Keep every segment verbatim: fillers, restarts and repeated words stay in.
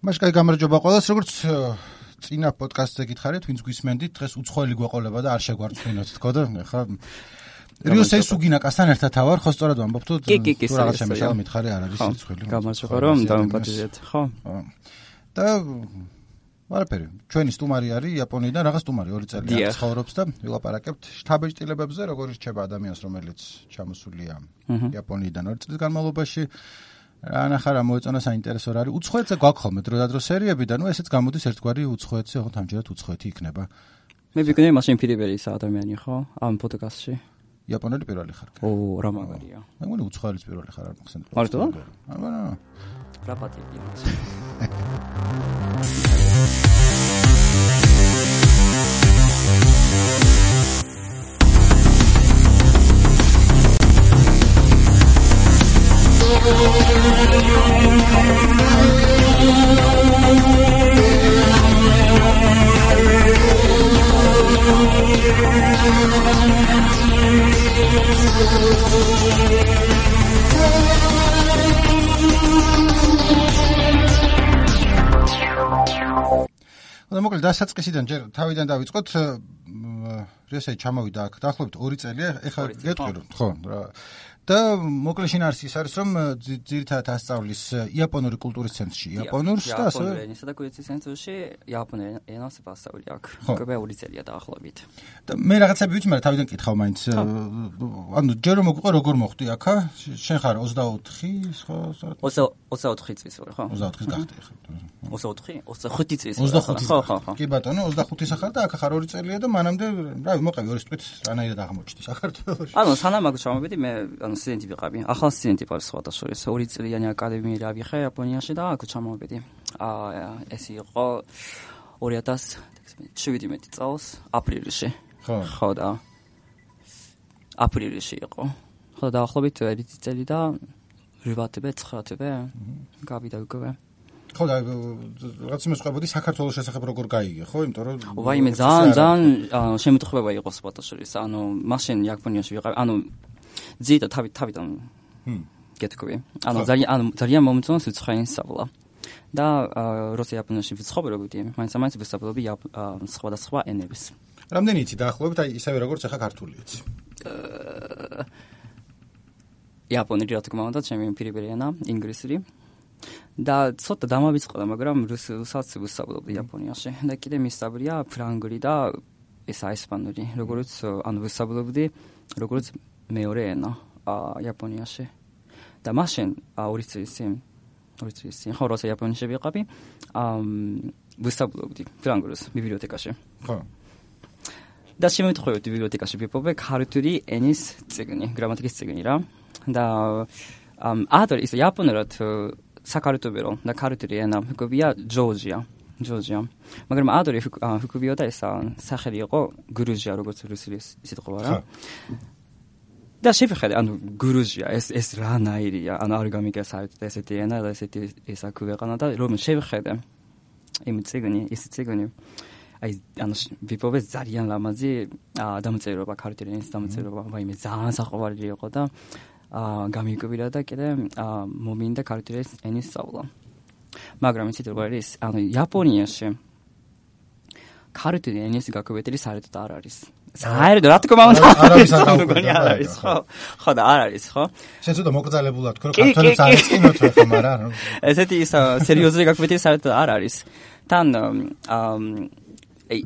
მაშ კაი გამარჯობა ყველას, როგორც წინა პოდკასტზე გითხარით, ვინც გვისმენდით, დღეს უცხოელი გვეყოლება და არ შეგვარწმუნოთ თქო და ხა რიო სესუგინაკასთან ერთად ავარ, ხო სწორად ვამბობ თუ თუ რაღაც შემეშალა მითხარი არ არის სიცხელი. გამარჯობა რომ დამპატიჟეთ, ხო? და ვარაფერი, ჩვენი სტუმარი არის იაპონიიდან, რაღაც სტუმარი ორი წელი ცხოვრობს და ვილაპარაკებთ შთაბეჭდილებებზე, როგორ რჩება ადამიანს, რომელიც ჩამოსულია იაპონიიდან ორი წლის განმავლობაში. ანახარა მოეწონა საინტერესო რა არის. უცხოეთზე გვაქვს ხოლმე დროდადრო სერიები და ნუ ესეც გამოდის ერთგვარი უცხოეთზე, ხო თამჯერად უცხოეთი იქნება. მე ვიგნე მაშინ პირველი ადამიანი ხო ამ პოდკასტში. იაპონელი პირველი ხარ. ო, რა მაგარია. მე მგონი უცხოელის პირველი ხარ არ მახსენდება. მარტო? აბა. რა პატივი იმას. და მოკლედ დასაწყისიდან ჯერ თავიდან დავიწყოთ. რესაი ჩამოვიდა აქ დაახლოებით ორი წელია, ეხლა გეტყვი რომ ხო რა. და მოკლედ შინაარსი ის არის რომ ძირითადად ასწავლის იაპონური კულტურის ცენტრში, იაპონურს და ასე იაპონური ენისა და კულტურის ცენტრში იაპონური ენას ვასწავლი აქ. უკვე ორი წელია დაახლოებით. და მე რაღაცები ვიცი, მაგრამ თავიდან კითხავ მაინც. ანუ ჯერ რომ მოგვიყვა როგორ მოხდი აქა? შენ ხარ ოცდაოთხი, ხო? ოცდაოთხი წლის ვარ, ხო? ოცდაოთხის გახდი ხა. ოცდაოთხი, ოცდახუთი წლის ვარ. ხო, ხო, ხო. კი ბატონო, ოცდახუთი ხარ და აქ ხარ ორი წელია და მანამდე, რავი, მოყევი ორი თვით რანაირად აღმოჩნდი საქართველოში. ანუ სანამ აქ ჩამოვიდი, მე ანუ სტუდენტი ვიყავი. ახალ სტუდენტი ვარ სხვადასხვა. ორი წლიანი აკადემიი რა ვიხე იაპონიაში და აქ ჩამოვიდი. აა ეს იყო ორი ათას შვიდმეტი წელს აპრილში. ხო. ხო და აპრილში იყო. ხო და ახლობით ერთი წელი და ორი თვე, ცხრა თვე გავიდა უკვე. ხო და რაღაც იმას ყვებოდი საქართველოს შესახებ როგორ გაიგე, ხო? იმიტომ რომ ვაიმე ძალიან ძალიან შემთხვევა იყო სხვადასხვა. ანუ მაშინ იაპონიაში ვიყავი. ანუ ძირითადად თავი თავიდან გეთქვი. ანუ ძალიან ანუ ძალიან მომწონს უცხოენის სწავლა. და როცა იაპონიაში ვიცხოვრობდი, მაინც-მაინც ვისწავლობდი სხვადასხვა ენებს. რამდენი იცი დაახლოებით, აი ისევე როგორც ახლა ქართული იცი? იაპონური რა თქმა უნდა, ჩემი პირველი ენა, ინგლისური. და ცოტა დამავიწყდა, მაგრამ რუსულსაც ვისწავლობდი იაპონიაში. და კიდე მისწავლია ფრანგული და ესა ესპანური, როგორც ანუ ვისწავლობდი, როგორც მეორე ენა იაპონიაში. და მაშინ ორი წლის წინ, ორი წლის წინ, ხო, როცა იაპონიაში ვიყავი, ვისწავლობდი ფრანგულს ბიბლიოთეკაში. ხო. და შემოიტყვევდი ბიბლიოთეკაში ვიპოვე ქართული ენის წიგნი, გრამატიკის წიგნი რა. და ადრე ის იაპონურად საკარიტობერო და ქართული ენა ჰქვია ჯორჯია. ჯორჯია. მაგრამ ადრე ჰქვიოდა ესა სახელი იყო გრუზია, როგორც რუსული სიტყვა რა. და შეფხედე, ანუ გრუზია, ეს ეს რანაირია, ანუ არ გამიგეს საერთოდ ესეთი ენა და ესეთი ესა ქვეყანა და რომ შეხედე იმ წიგნი, ის წიგნი აი ანუ ვიპოვე ძალიან ლამაზი დამწერლობა, ქართული ენის დამწერლობა, ვაიმე ძალიან საყვარელი იყო და გამიკვირდა და კიდე მომინდა ქართული ენის სწავლა. მაგრამ იცით როგორ არის, ანუ იაპონიაში ქართული ენის გაკვეთილი საერთოდ არ არის. საერთოდ რა თქმა უნდა არ არის, ხო? ხო და არ არის, ხო? შენ ცოტა მოკრძალებულად თქო, რომ ქართულებს არ ეწინოთ ხო, მაგრამ ესეთი სერიოზული გაკვეთილი საერთოდ არ არის. თან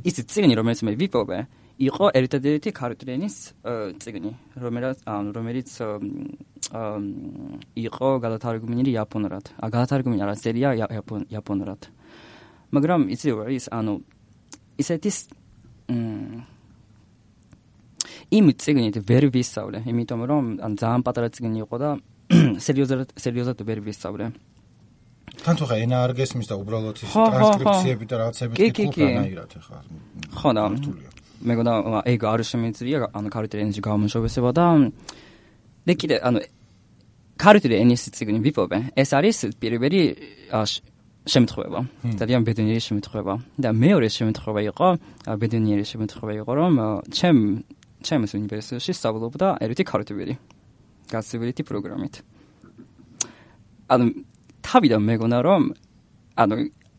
ის წიგნი რომელიც მე ვიპოვე იყო ერთადერთი ქართული ენის წიგნი, რომელიც ანუ რომელიც იყო გადათარგმნილი იაპონურად. გადათარგმნილი არა, სერია იაპონურად. მაგრამ იცი რა ის, ანუ ისეთი იმ წიგნით ვერ ვისწავლე, იმიტომ რომ ან ძალიან პატარა წიგნი იყო და სერიოზად სერიოზად ვერ ვისწავლე. თან თუ ხა ენა არ გესმის და უბრალოდ ის ტრანსკრიფციები და რაღაცები კითხულანაირად ხა. ხო და მეგონა ეგ არ შემიძლია, ანუ ქართული ენაში გამომშობესება და და კიდე ანუ ქართული ენის წიგნი ვიპოვე. ეს არის პირველი შემთხვევა. ძალიან ბედნიერი შემთხვევა. და მეორე შემთხვევა იყო, ბედნიერი შემთხვევა იყო, რომ ჩემ ჩემს უნივერსიტეტში სწავლობდა ერთი ქართველი გასწავლითი პროგრამით. ანუ თავიდან მეგონა რომ ანუ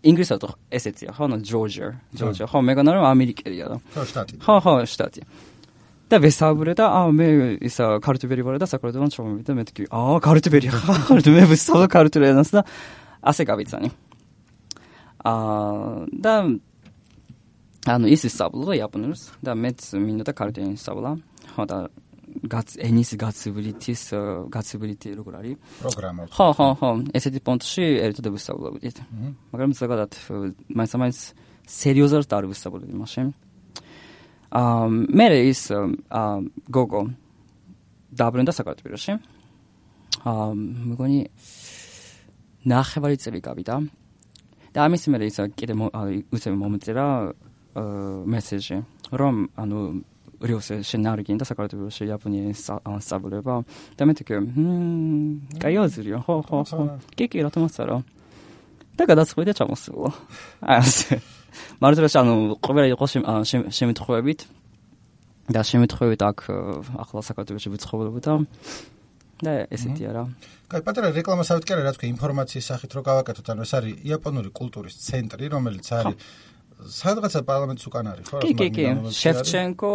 ინგლისურად ესეცია, ხო, ჯორჯია, ჯორჯია, ხო, მეგონა რომ ამერიკელია და. ხო, შტატი. ხო, ხო, შტატი. და ვესაუბრე და აა მე ისა ქართული ვარ და საკუთრებიდან ჩამოვიდა მე თქვი, აა ქართული ხარ, მე ვისწავლე ქართული ენას და ასე გავიცანი. აა და ანუ ის ისწავლა იაპონურს და მეც მინდოდა ქართული ისწავლა. ხო და გაც ენის გაცვლითის გაცვლითი როგორ არის? პროგრამა. ხო, ხო, ხო, ესეთი პონტში ერთად ვისწავლობდით. მაგრამ ზოგადად მაინც-მაინც სერიოზულად არ ვისწავლობდი მაშინ. აა მე ის აა გოგო დაბრუნდა საქართველოში. აა მეგონი ნახევარი წელი გავიდა. და ამის მერე ის კიდე უცებ მომწერა მესეჯი, რომ ანუ რიოს შენარგინ და საქართველოში იაპონიის სწავლება და მე თქვი, მმ, კაი აზრია, ხო, ხო, ხო. კი, კი, რა თქმა უნდა. და გადაწყვიტე ჩამოსულა. ასე. მარტო ანუ ყოველი იყო შემთხვევით და შემთხვევით აქ ახლა საქართველოში ვიცხოვებოდა და ესეთია რა. კაი, პატარა რეკლამასავით კი არა, რა თქვი, ინფორმაციის სახით რო გავაკეთოთ, ანუ ეს არის იაპონური კულტურის ცენტრი, რომელიც არის სადღაცა პარლამენტის უკან არის, ხო? კი, კი, კი. შევჩენკო,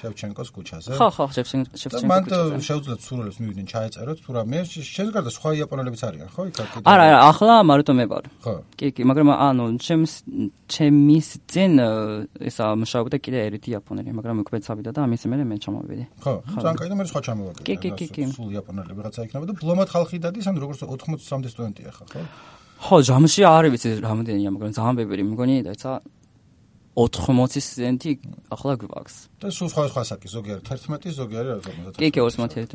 შევჩენკოს ქუჩაზე. ხო, ხო, შევჩენკოს ქუჩაზე. მანდ შეუძლიათ სურვილებს მივიდნენ ჩაეწეროთ, თუ რა მე შენს გარდა სხვა იაპონელებიც არიან, ხო? იქ აქ. არა, არა, ახლა მარტო მე ვარ. ხო. კი, კი, მაგრამ ანუ ჩემს ჩემის წინ ესა მუშაობდა კიდე ერთი იაპონელი, მაგრამ უკვე წავიდა და ამის მერე მე ჩამოვიდი. ხო, ძალიან კაი და მე სხვა ჩამოვაგე. კი, კი, კი, კი. სულ იაპონელი ვიღაცა იქნება და ბლომად ხალხი დადის, ანუ როგორც ოთხმოცი სამდე სტუდენტია ხა, ხო? ხო, ჯამში არ ვიცი რამდენია, მაგრამ ძალიან ბევრი მგონი და ცა ოთხმოცი სტუდენტი ახლა გვაქვს. და სულ სხვა სხვა საკი, ზოგი არის თერთმეტი, ზოგი არის ორმოცდაათი. კი, კი, ორმოცდაათი.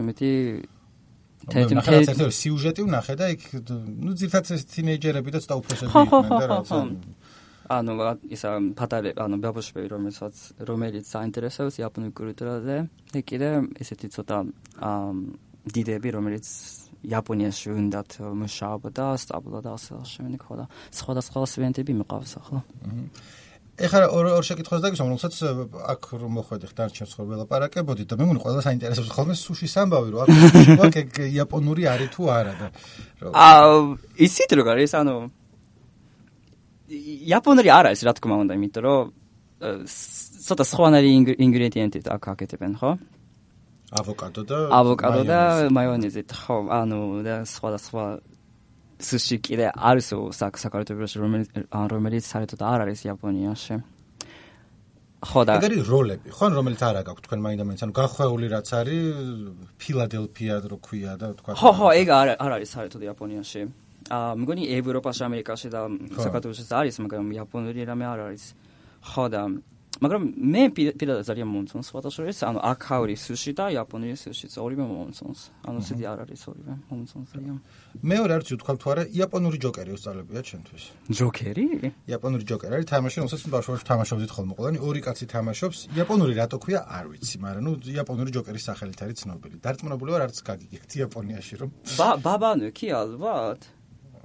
თერთმეტი სიუჟეტი ვნახე და იქ ნუ ძირთადად თინეიჯერები და ცოტა უფროსები იყვნენ და რა. ანუ ისა პატარა, ანუ ბაბოშვილი რომელსაც რომელიც საინტერესებს იაპონურ კულტურაზე, და კიდე ესეთი ცოტა დიდები რომელიც იაპონიაში უნდათ მუშაობდა, სწავლობდა ასე შემდეგ ხო და სხვადასხვა სტუდენტები მიყავს ახლა. ეხლა ორ ორ შეკითხვას დაგისვამ, რომელსაც აქ რომ მოხვედი ხდარჩევს ხო ველაპარაკებოდი და მე მგონი ყველა საინტერესოს ხოლმე სუშის ამბავი რომ აქ სუში აქ იაპონური არის თუ არა და აა ისიც როგორ არის ანუ იაპონური არ არის რა თქმა უნდა, იმიტომ რომ ცოტა სხვანაირი ინგრედიენტი აქ აკეთებენ, ხო? ავოკადო და ავოკადო და მაიონეზი, ხო, ანუ და სხვადასხვა სუში კიდე არის საქართველოში რომელიც საერთოდ არ არის იაპონიაში. ხო და ეგ არის როლები, ხო, რომელიც არ აქვს თქვენ მაინდა-მაინც, ანუ გახვეული რაც არის ფილადელფია რო ქვია და თქვა. ხო, ხო, ეგ არ არ არის საერთოდ იაპონიაში. აა მგონი ევროპაში, ამერიკაში და საქართველოში არის, მაგრამ იაპონური რამე არ არის. ხო და მაგრამ მე პირადად ძალიან მომწონს სხვადასხვა, ანუ აქაური სუში და იაპონური სუშიც ორივე მომწონს. ანუ ცივი არ არის ორივე მომწონს ძალიან. მეორე არც ვთქვა თუ არა, იაპონური ჯოკერი უსწავლებია ჩემთვის. ჯოკერი? იაპონური ჯოკერი არის თამაში, რომელსაც ბავშვობაში თამაშობდით ხოლმე ყველანი, ორი კაცი თამაშობს. იაპონური რატო ქვია, არ ვიცი, მაგრამ ნუ იაპონური ჯოკერის სახელით არის ცნობილი. დარწმუნებული ვარ, არც გაგიგებთ იაპონიაში რომ. ბაბანო კი ალბათ.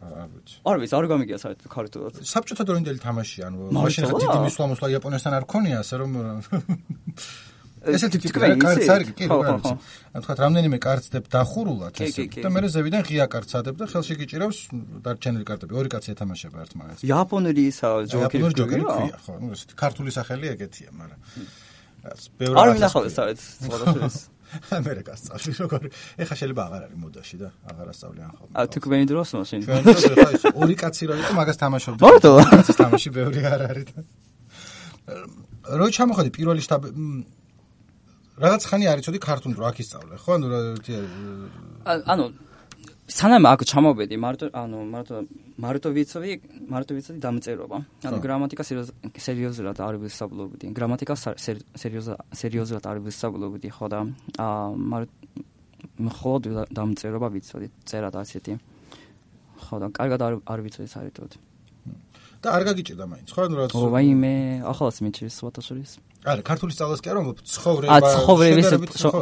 არ ვიცი. არ ვიცი, არ გამიგია საერთოდ ქართულად. საბჭოთა დროინდელი თამაში, ანუ მაშინ ხა დიდი მისვლა-მოსვლა იაპონიასთან არ ქონია, ასე რომ ესეთი ტიპი კარტს არის, კი, რა ვიცი. ანუ თქვა რამდენიმე კარტს დებ დახურულად ესე და მე ზევიდან ღია კარტს ადებ და ხელში გიჭირავს დარჩენილი კარტები, ორი კაცი ეთამაშება ერთმანეთს. იაპონური ისა ჯოკერი ქვია, ხო, ну ესეთი ქართული სახელი ეგეთია, მაგრამ ბევრი არ მინახავს საერთოდ სხვადასხვა ამერიკას წავში როგორ ეხა შეიძლება აღარ არის მოდაში და აღარ ასწავლიან ხოლმე. აა თქვენი დროს მაშინ. თქვენი დროს ხა ის ორი კაცი რო იყო მაგას თამაშობდი. მარტო კაცის თამაში ბევრი არ არის და რო ჩამოხდი პირველი შტაბ რაღაც ხანი არ იცოდი ქართული რო აქ ისწავლე, ხო? ანუ რა ანუ სანამ აქ ჩამოვედი, მარტო ანუ მარტო მარტო ვიცოდი, მარტო ვიცოდი დამწერლობა. ანუ გრამატიკა სერიოზულად არ ვისწავლობდი. გრამატიკა სერიოზულად სერიოზულად არ ვისწავლობდი, ხო და აა მხოლოდ დამწერლობა ვიცოდი, წერა და ასეთი. ხო და კარგად არ არ ვიცოდი საერთოდ. და არ გაგიჭირდა მაინც, ხო? ანუ რა ო ვაიმე, ახალს მიჩის სხვადასხვის. არა, ქართული სწავლას კი არა, ცხოვრება. აა ცხოვრების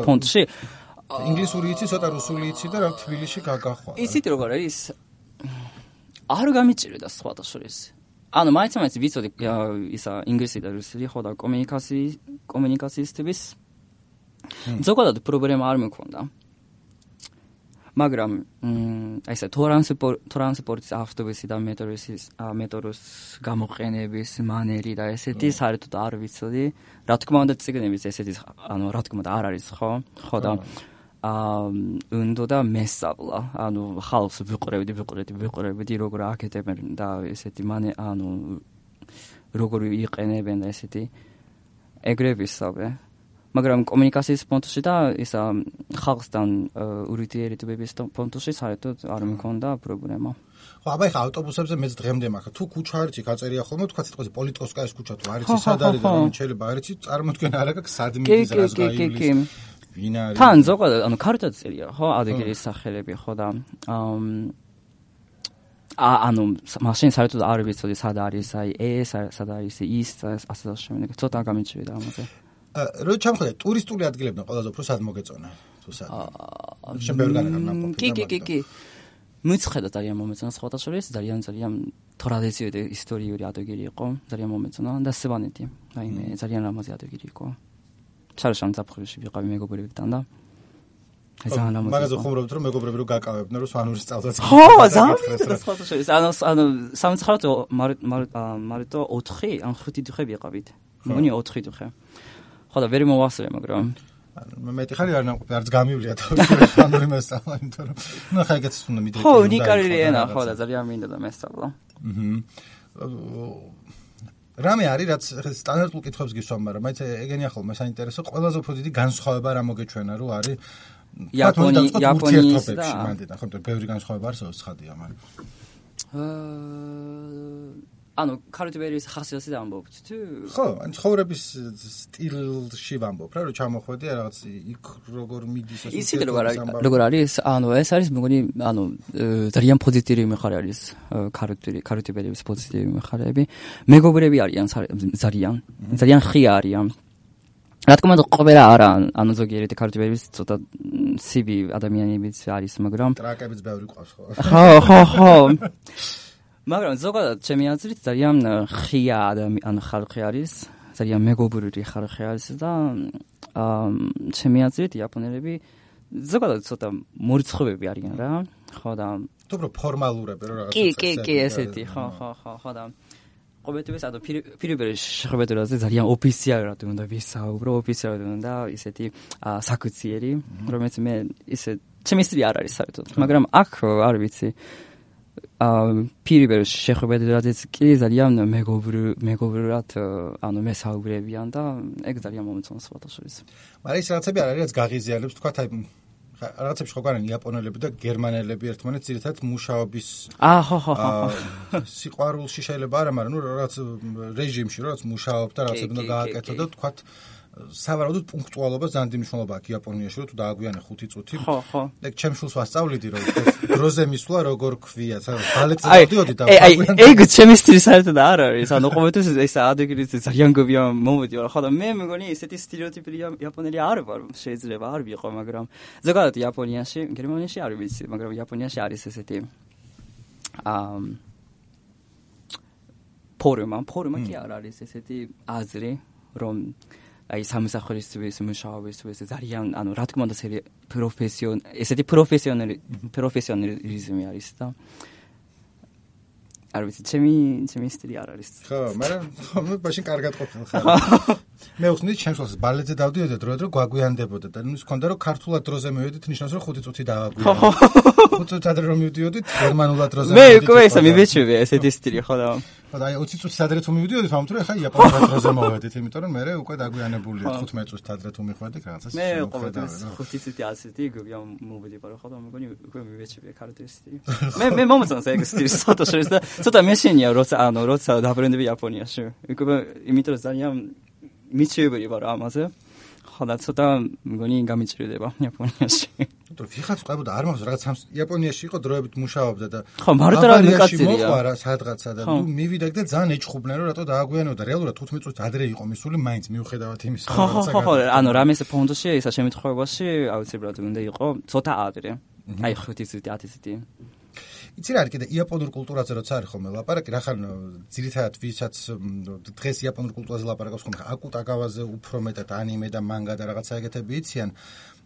ფონდში ინგლისური იცი, ცოტა რუსული იცი და რა თბილისში გაგახვალ. ისიც როგორ არის? არ გამიჭირდა სხვადასხვის. ანუ მაინც-მაინც ვიცოდი ისა ინგლისი და რუსული, ხო და კომუნიკაციის კომუნიკაციისთვის ზოგადად პრობლემა არ მქონდა. მაგრამ აი ესა ტრანსპორტის ავტობუსი და მეტროს მეტროს გამოყენების მანერი და ესეთი საერთოდ არ ვიცოდი. რა თქმა უნდა ციგნების ესეთი ანუ რა თქმა უნდა არ არის ხო? ხო და აა უნდა და მესწავლა. ანუ ხალხს ვიყურებდი, ვიყურებდი, ვიყურებდი როგორ აკეთებენ და ესეთი მანე ანუ როგორ იყენებენ და ესეთი ეგრე ვისწავლე. მაგრამ კომუნიკაციის პონტში და ისა ხალხთან ურთიერთობების პონტში საერთოდ არ მქონდა პრობლემა. ხო, აბა ეხა ავტობუსებზე მეც დღემდე მაქვს. თუ კუჩა არის, გაწერია ხოლმე, თქვა სიტყვაზე პოლიტკოვსკაიის კუჩა თუ არის, სად არის და რომ შეიძლება არის, წარმოდგენა არ აქვს სად მიდის რას გაივლის. ვინ არის? თან ზოგადად ანუ ქართულად წერია, ხო, ადგილის სახელები, ხო და აა ანუ მაშინ საერთოდ არ ვიცოდი სად არის, აი ეს სად არის ის ასე და შემდეგ. ცოტა გამიჩვიდა ამაზე. რო ჩამხდე ტურისტული ადგილებიდან ყველაზე უფრო სად მოგეწონა თუ სად? აა შემბერგან განაყოფი. კი კი კი კი. მიცხედა ძალიან მომეწონა სხვათა შორის, ძალიან ძალიან ტრადიციული და ისტორიული ადგილი იყო, ძალიან მომეწონა და სვანეთი. აი მე ძალიან ლამაზი ადგილი იყო. ჩარშან ზაფხულში ვიყავი მეგობრებთან და ეს ძალიან ლამაზი. მაგაზე ხუმრობთ რომ მეგობრები რო გაკავებდნენ რომ სვანურის წავდაც. ხო, ძალიან სხვათა შორის. ანუ ანუ სამწუხაროდ მარტო ოთხი ან ხუთი დღე ვიყავით. მგონი ოთხი დღე. ხო და ვერ მოვასწრე, მაგრამ მე მეტი ხარი არ ნაყოფი, არც გამივლია თავში სვანური მესწავლა, იმიტომ რომ ნუ ხა ეგეც უნდა მიდრე. ხო, უნიკალური ენა ხო და ძალიან მინდა და მესწავლა. აჰა. რამე არის, რაც სტანდარტულ კითხვებს გისვამ, მაგრამ მაინც ეგენია ხოლმე საინტერესო, ყველაზე უფრო დიდი განსხვავება რა მოგეჩვენა, რო არის იაპონიის იაპონიის და მანდიდან, ხო, ბევრი განსხვავება არსებობს ცხადია, მაგრამ აა ანუ ქართულის ხასიათზე ამბობთ თუ? ხო, ან ცხოვრების სტილში ვამბობ რა, რომ ჩამოხვედი რაღაც იქ როგორ მიდის ეს ისე როგორ არის, ანუ ეს არის მგონი, ანუ ძალიან პოზიტიური მხარე არის ქართული ქართულის პოზიტიური მხარეები. მეგობრები არიან ძალიან, ძალიან ხია არიან. რა თქმა უნდა ყოველა არა, ანუ ზოგიერთი ქართულის ცოტა სივი ადამიანებიც არის, მაგრამ ტრაკებიც ბევრი ყავს ხო? ხო, ხო, ხო. მაგრამ ზოგადად ჩემი აზრით ძალიან ხია ადამიანი ხალხი არის, ძალიან მეგობრული ხალხი არის და აა ჩემი აზრით იაპონელები ზოგადად ცოტა მორიცხობები არიან რა, ხო და თუ უფრო ფორმალურები რა რაღაცა. კი, კი, კი, ესეთი, ხო, ხო, ხო, ხო და ყოველთვის ანუ პირობრივ შეხვედრაზე ძალიან ოფიციალურად უნდა ვისაუბრო, ოფიციალურად უნდა ისეთი საკუციერი, რომელიც მე ისე ჩემი სტილი არ არის საერთოდ, მაგრამ აქ არ ვიცი აა პირობრივ შეხვედრაზეც კი ძალიან მეგობრ მეგობრად ანუ მესაუბრებიან და ეგ ძალიან მომეწონა სხვათა შორის. მაგრამ ის რაღაცები არ არის რაც გაღიზიანებს, თქვა აი რაღაცებში ხო განან იაპონელები და გერმანელები ერთმანეთს ძირითადად მუშაობის აა ხო ხო ხო სიყვარულში შეიძლება არა, მაგრამ ნუ რაღაც რეჟიმში რაღაც მუშაობ და რაღაცები უნდა გააკეთო და თქვა სავარაუდოდ პუნქტუალობა ძალიან დიდი მნიშვნელობა აქვს იაპონიაში, რომ თუ დააგვიანე ხუთი წუთი. ხო, ხო. ეგ ჩემს შულს ვასწავლიდი, რომ დროზე მისვლა როგორ ქვია, ბალეტზე დავდიოდი და აი, ეგ ჩემი სტილი საერთოდ არ არის. ანუ ყოველთვის ეს ადგილიც ძალიან გობია მომედი, ხო და მე მგონი ესეთი სტერეოტიპი იაპონელი არ ვარ, შეიძლება არ ვიყო, მაგრამ ზოგადად იაპონიაში, გერმანიაში არ ვიცი, მაგრამ იაპონიაში არის ესეთი აა ფორმა, ფორმა კი არ არის ესეთი აზრი, რომ აი სამსახურისთვის მუშაობისთვის ძალიან ანუ რა თქმა უნდა პროფესიონ ესეთი პროფესიონალი პროფესიონალიზმი არის და არ ვიცი ჩემი ჩემი სტილი არ არის. ხო, მაგრამ მე მაშინ კარგად ყოფილ ხარ. მე ვხსნით ჩემს ხელს ბალეტზე დავდიოდი და დროდადრო გვაგვიანდებოდა და ნუ ის ქონდა რომ ქართულად დროზე მივედით ნიშნავს რომ ხუთი წუთი დავაგვიანე. ხუთი წუთი ადრე რომ მივდიოდით გერმანულად დროზე მე უკვე ესა მივეჩვევი ესეთი სტილი ხო და ხო და აი ოცი წუთი ადრე თუ მივდიოდით ამიტომ ეხა იაპონურად დროზე მოვედით, იმიტომ რომ მე უკვე დაგვიანებულია თხუთმეტ წუთი ადრე თუ მიხვედით რაღაცას. მე ყოველთვის ხუთი წუთი ასეთი გვია მოვედი პარო ხო და მეგონი უკვე მივეჩვევი ქართულის სტილი. მე მე მომწონს ეგ სტილი ცოტა შორის და ცოტა მეშინია როცა ანუ როცა დაბრუნდები იაპონიაში. უკვე იმიტომ რომ ძალიან მიჩვევები ვარ ამაზე. ხო და ცოტა მგონი გამიჭირდება იაპონიაში. თუ ვიღაც ყავდა არ მახსოვს რაღაც იაპონიაში იყო დროებით მუშაობდა და ხო მარტო რა მიკაცირია. მოყარა სადღაცა და თუ მივიდა და ძალიან ეჭხუბნენ რომ რატო დააგვიანებდა რეალურად თხუთმეტ წუთი ადრე იყო მისული მაინც მიუხედავად იმისა რომ რაღაცა ხო ხო ანუ რამეს ფონდში ისა შემთხვევაში აუცილებლად უნდა იყო ცოტა ადრე. აი ხუთი წუთი ათი წუთი. იცი რა არის კიდე იაპონურ კულტურაზე როცა არის ხოლმე ლაპარაკი, რახან ძირითადად ვისაც დღეს იაპონურ კულტურაზე ლაპარაკობს ხოლმე, აკუტაგავაზე უფრო მეტად ანიმე და მანგა და რაღაცა ეგეთები იციან.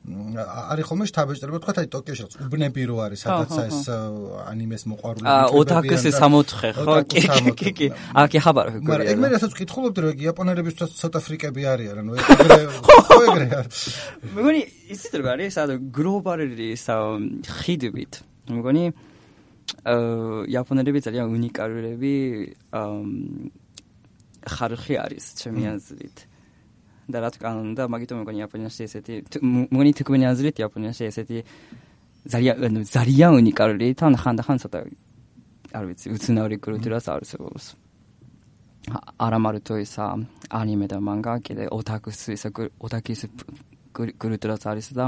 არის ხოლმე შთაბეჭდილება თქვა აი ტოკიოში რაც უბნები რო არის სადაც ეს ანიმეს მოყვარულები იქნება. ოტაკუსი სამოთხე ხო? კი კი კი. აკი ხაბარ ხო? მაგრამ ეგ მე რასაც ვკითხულობდი რომ ეგ იაპონელებისთვის ცოტა ფრიკები არიან, ანუ ეგრე ხო ეგრე არის. მეგონი იცით როგორ არის სადო გლობალური ხიდებით. მეგონი იაპონელები ძალიან უნიკალურები ხარხი არის ჩემი აზრით. და რა თქმა უნდა მაგიტომ მეგონი იაპონიაში ესეთი მეგონი თქმენი აზრით იაპონიაში ესეთი ძალიან ძალიან უნიკალური თან ხანდახან ცოტა არ ვიცი უცნაური კულტურას არსებობს. არა მარტო ისა ანიმე და მანგა კიდე ოტაკუს ისა ოტაკის კულტურაც არის და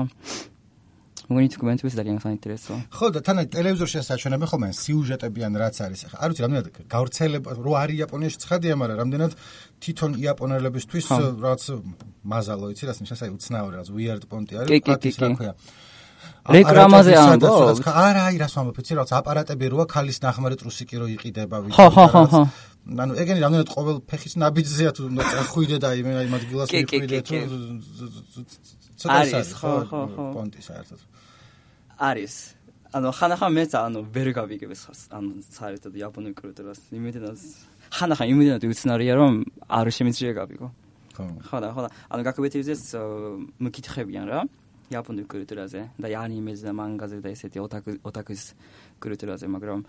მოგონი თქმენთვის ძალიან საინტერესოა. ხო და თან ტელევიზორში ასაჩვენებენ ხოლმე სიუჟეტები ან რაც არის. ახლა არ ვიცი რამდენად გავრცელება რო არის იაპონიაში ცხადია, მაგრამ რამდენად თვითონ იაპონელებისთვის რაც მაზალო იცი რას ნიშნავს აი უცნაური რაც weird პონტი არის ფაქტის რა ქვია. რეკლამაზე ამბობ. არა, აი რას ვამბობ, იცი რაც აპარატები როა ხალის ნახმარი ტრუსიკი რო იყიდება ვიცი. ხო ხო ხო. ანუ ეგენი რამდენად ყოველ ფეხის ნაბიჯზეა თუ ხვიდე და აი მე აი მადგილას მიხვიდე თუ არის ხო ხო ხო პონტი საერთოდ არის ანუ ხანახან მეც ანუ ვერ გავიგებს ანუ საერთოდ იაპონურ კულტურას იმედად ხანახან იმედად უცნარია რომ არ შემიძლია გავიგო ხო და ხო და ანუ გაკვეთილზეც მკითხებიან რა იაპონურ კულტურაზე და ანიმეზე და მანგაზე და ესეთი ოტაკუს კულტურაზე მაგრამ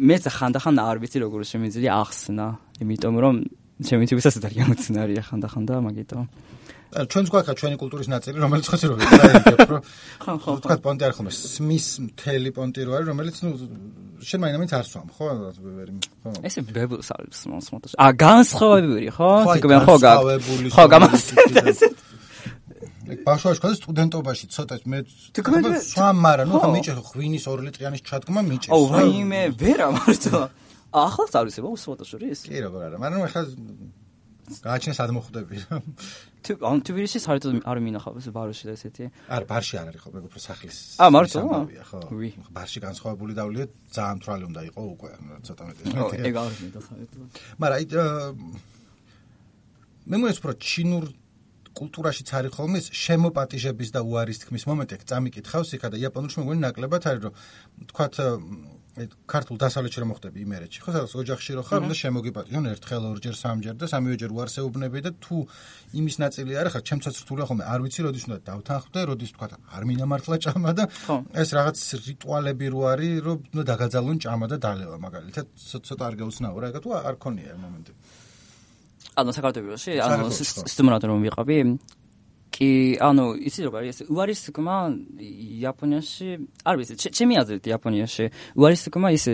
მეც ხანდახან არ ვიცი როგორ შემიძლია ახსნა იმიტომ რომ შემიძლია ძალიან უცნარია ხანდახან და მაგიტომ ჩვენც გვაქვს ჩვენი კულტურის ნაწილი, რომელიც ხოცი რო ვიყავით, რომ ხო ხო თქვა პონტი არ ხომ სმის მთელი პონტი რო არის, რომელიც ნუ შენ მაინც არ სვამ, ხო? ხო. ესე ბებულს არის მოსმოთოს. ა განსხვავებული, ხო? თქო ხო გა. ხო გამასწრებს. ბავშვობაში ხოდი სტუდენტობაში ცოტა მე სვამ, მაგრამ ნუ ხომ მიჭე ღვინის ორი ლიტრიანის ჩადგმა მიჭე. აუ ვაიმე, ვერა მარტო. ახლაც არის მოსმოთოს შორის? კი როგორ არა, მაგრამ ახლა გააჩინე სად მოხვდები. თუ ან თბილისში საერთოდ არ მინახავს ბარში და ესეთი. არა, ბარში არ არის ხო, მე უფრო სახლის. ა მარტო? ხო. ბარში განსხვავებული დავლიეთ, ძალიან მთვრალი უნდა იყო უკვე, ცოტა მეტი. ეგ არ მინდა საერთოდ. მაგრამ აი მე მგონი რომ ჩინურ კულტურაშიც არის ხოლმე შემოპატიჟების და უარის თქმის მომენტი, წამიკითხავს იქა და იაპონურში მე მგონი ნაკლებად არის რომ თქვათ ქართულ დასავლეთში რომ მოხდები იმერეთში ხო სადაც ოჯახში რო ხარ უნდა შემოგიპატიჟონ ერთხელ ორჯერ სამჯერ და სამივეჯერ უარსეუბნები და თუ იმის ნაწილი არ ხარ ჩემცაც რთულია ხოლმე არ ვიცი როდის უნდა დავთანხმდე როდის თქვა არ მინამართლა ჭამა და ეს რაღაც რიტუალები რო არის რომ უნდა დაგაძალონ ჭამა და დალევა მაგალითად ცოტა არ გაუცნაურა ეგა თუ არ ქონია მომენტი ანუ საქართველოში ანუ სტიმულატორი რომ ვიყავი კი ანუ იცი როგორ არის უარის თქმა იაპონიაში არ ვიცი ჩემი აზრით იაპონიაში უარის თქმა ის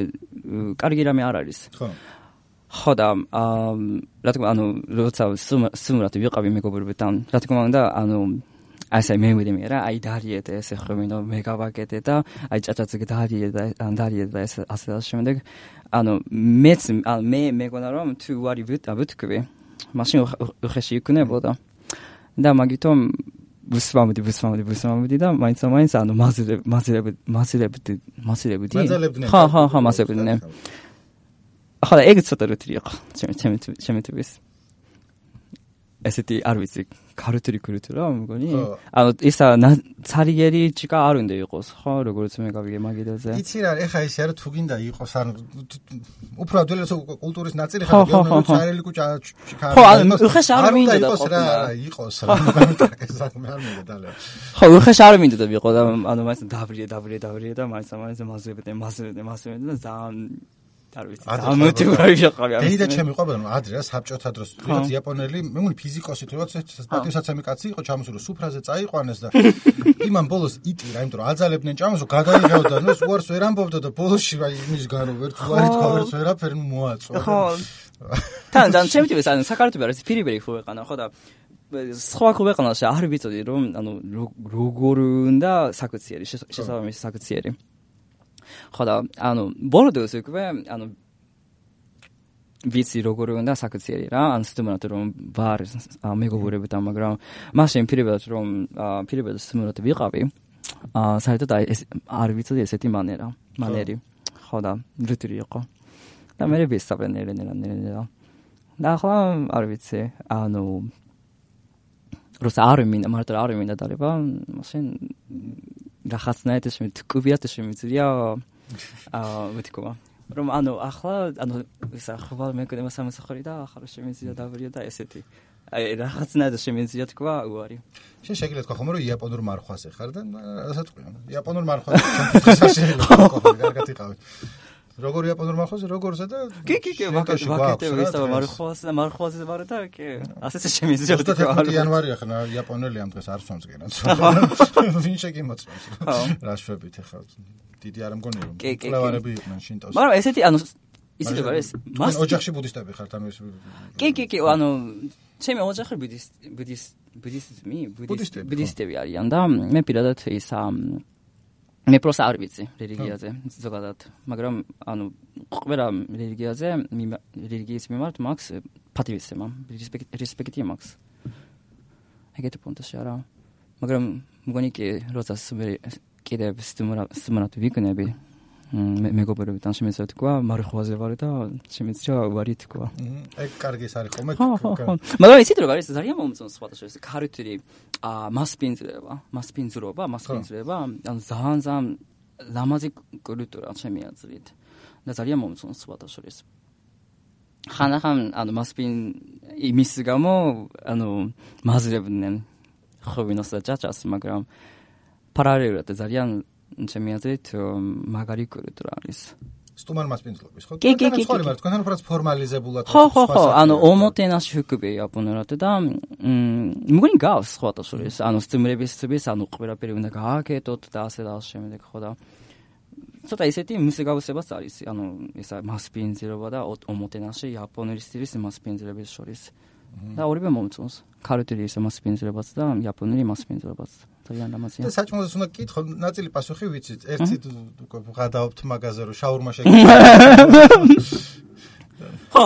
კარგი რამე არ არის ხო ხო და რა თქმა ანუ როცა სტიმულატორი ვიყავი მეგობრებთან რა თქმა უნდა ანუ ასე მე მივიდე რა აი დარიეთ ესე ხვმინო მე გავაკეთე და აი ჭაჭაც დარიეთ და დარიეთ და ესე ასე შემდეგ ანუ მეც მე მეგონა რომ თუ უარი ვიტყვი მაშინ უხეში იქნებოდა და მაგითომ ვუსვამდი ვუსვამდი ვუსვამდი და მაინც მაინც ანუ მაზილებ მაზილებ მაზილებდი მაზილებდი ხა ხა ხა მაზილებდი ახლა ეგ ცოტა რთული იყო ჩემი ჩემი ჩემი თვის ესეთი არ ვიცი ქართული კულტურა მგონი ანუ ისა ცარიერი ჭიკა არ უნდა იყოს ხო როგორც მე გავიგე მაგიდაზე იცი რა ეხა ისე არა თუ გინდა იყოს ან უფრო ადვილად კულტურის ნაწილი ხარ გეონო ცარიელი კუჭა ჭიკა ხო ანუ უხეშ არ მინდა და იყოს რა იყოს რა მე არ მინდა და ხო უხეშ არ მინდა და ვიყო და ანუ მაინც დავრიე დავრიე დავრიე და მაინც მაინც მაზრებდი მაზრებდი მაზრებდი და ძალიან არ ვიცი ამოთივარი შეყავი ამის და ჩემი ყვება რომ ადრე რა საბჭოთა დროს ვიღაც იაპონელი მე მგონი ფიზიკოსი თუ რაც პატივსაცემი კაცი იყო ჩამოსული სუფრაზე წაიყვანეს და იმან ბოლოს იტირა იმიტომ რომ აძალებდნენ ჭამას რომ გადაიღებდა ნუ უარს ვერ ამბობდა და ბოლოსში აი იმის გარო ვერც უარი თქვა ვერც ვერაფერი მოაწვა ხო თან თან ჩემი თვითონ ანუ საქართველოს არის პირიბერი ხო ეყანა ხო და სხვა ქვეყანაში არ ვიცოდი რომ ანუ როგორ უნდა საკუციერი შესაბამისი საკუციერი ხო და ანუ ბოლოს უკვე ანუ ვიცი როგორ უნდა საკუციერი რა ან სტიმულატორი რომ ვარ მეგობრებთან მაგრამ მაშინ პირებად რომ პირებად სტიმულატორი ვიყავი აა საერთოდ ეს არ ვიცოდი ესეთი მანერა მანერი. ხო და რიტრი იყო. და მე ვისწავლე ნერენერა. და ახლა არ ვიცი, ანუ როცა არ მინდა, მარტო არ მინდა დარება, მაშინ რაღაცნაირად ეს მეთქუბიათ ეს შემიძლია აა ვეთქობა. რომ ანუ ახლა ანუ ისა ხვალ მეკდება სამსახური და ახლა შემიძლია დავრია და ესეთი. აი რაღაცნაირად შემიძლია თქვა უარი. შენ შეგიძლია თქვა ხომ რომ იაპონურ მარხვაზე ხარ და რასაც თქვია. იაპონურ მარხვაზე ჩემთვის შეიძლება ხო კარგად იყავით. როგორ იაპონურ მარხვაზე როგორზე და კი კი კი ვაკეთებ ისა მარხვაზე და მარხვაზე ვარ და კი ასეც შემიძლია თქვა. იანვარია ხნა იაპონელი ამ დღეს არ სვამს გენაც. ვინ შეგიმოწმებს რა შვებით ახლა დიდი არ მგონია რომ კლევარები იყვნენ შინტოს. მაგრამ ესეთი ანუ ისეთი რა ეს მას ოჯახში ბუდისტები ხართ ანუ ეს კი კი კი ანუ ჩემი ოჯახი ბუდისტები ბუდისტები არიან და მე პირადად ის მე პროსა არ ვიცი რელიგიაზე ზოგადად მაგრამ ანუ ყველა რელიგიაზე რელიგიის მიმართ მაქვს პატივისცემა რესპექტი მაქვს ეგეთი პონტში არა მაგრამ მგონი კი როცა კიდევ სტუმრად ვიქნები მეგობრებთან შემიძლია თქვა მარხვაზე ვარ და შემიძლია ვარი თქვა ეგ კარგი არის ხოლმე მაგრამ ისეთ როგორ არის ძალიან მომწონს სხვადასხვა ეს ქარიტული მასპინძლება მასპინძლობა მასპინძლება ანუ ძალიან ძალიან ლამაზი კულტურა ჩემი აზრით და ძალიან მომწონს სხვადასხვა ეს ხანახან ანუ მასპინ იმის გამო ანუ მაზრებდნენ ხოვინოს და ჭაჭას მაგრამ პარალელურად ძალიან ჩემი აზრით მაგარი კულტურა არის. სტუმარ მასპინძლობის ხო? კი კი კი. თქვენთან უფრო ფორმალიზებულად ხო ხო ხო, ანუ ომოტენაში ვიკები იაპონურად და მგონი გავს სხვადასხვა ეს, ანუ სტუმრებისთვის, ანუ ყველაფერი უნდა გააკეთოთ და ასე და ასე შემდეგ ხო და ცოტა ისეთი მუსიკაოსებაც არის, ანუ ისა მასპინძლობა და ომოტენაში იაპონური სტილის მასპინძლების შორის. და ორივე მომწონს. ქარიტული ის მასპინძლებაც და იაპონური მასპინძლებაც. ძალიან ლამაზია. და საჭმელს უნდა გითხო, ნაწილი პასუხი ვიცით. ერთი ვღადაობთ მაგაზე რომ შაურმა შეგიძლია. ხო.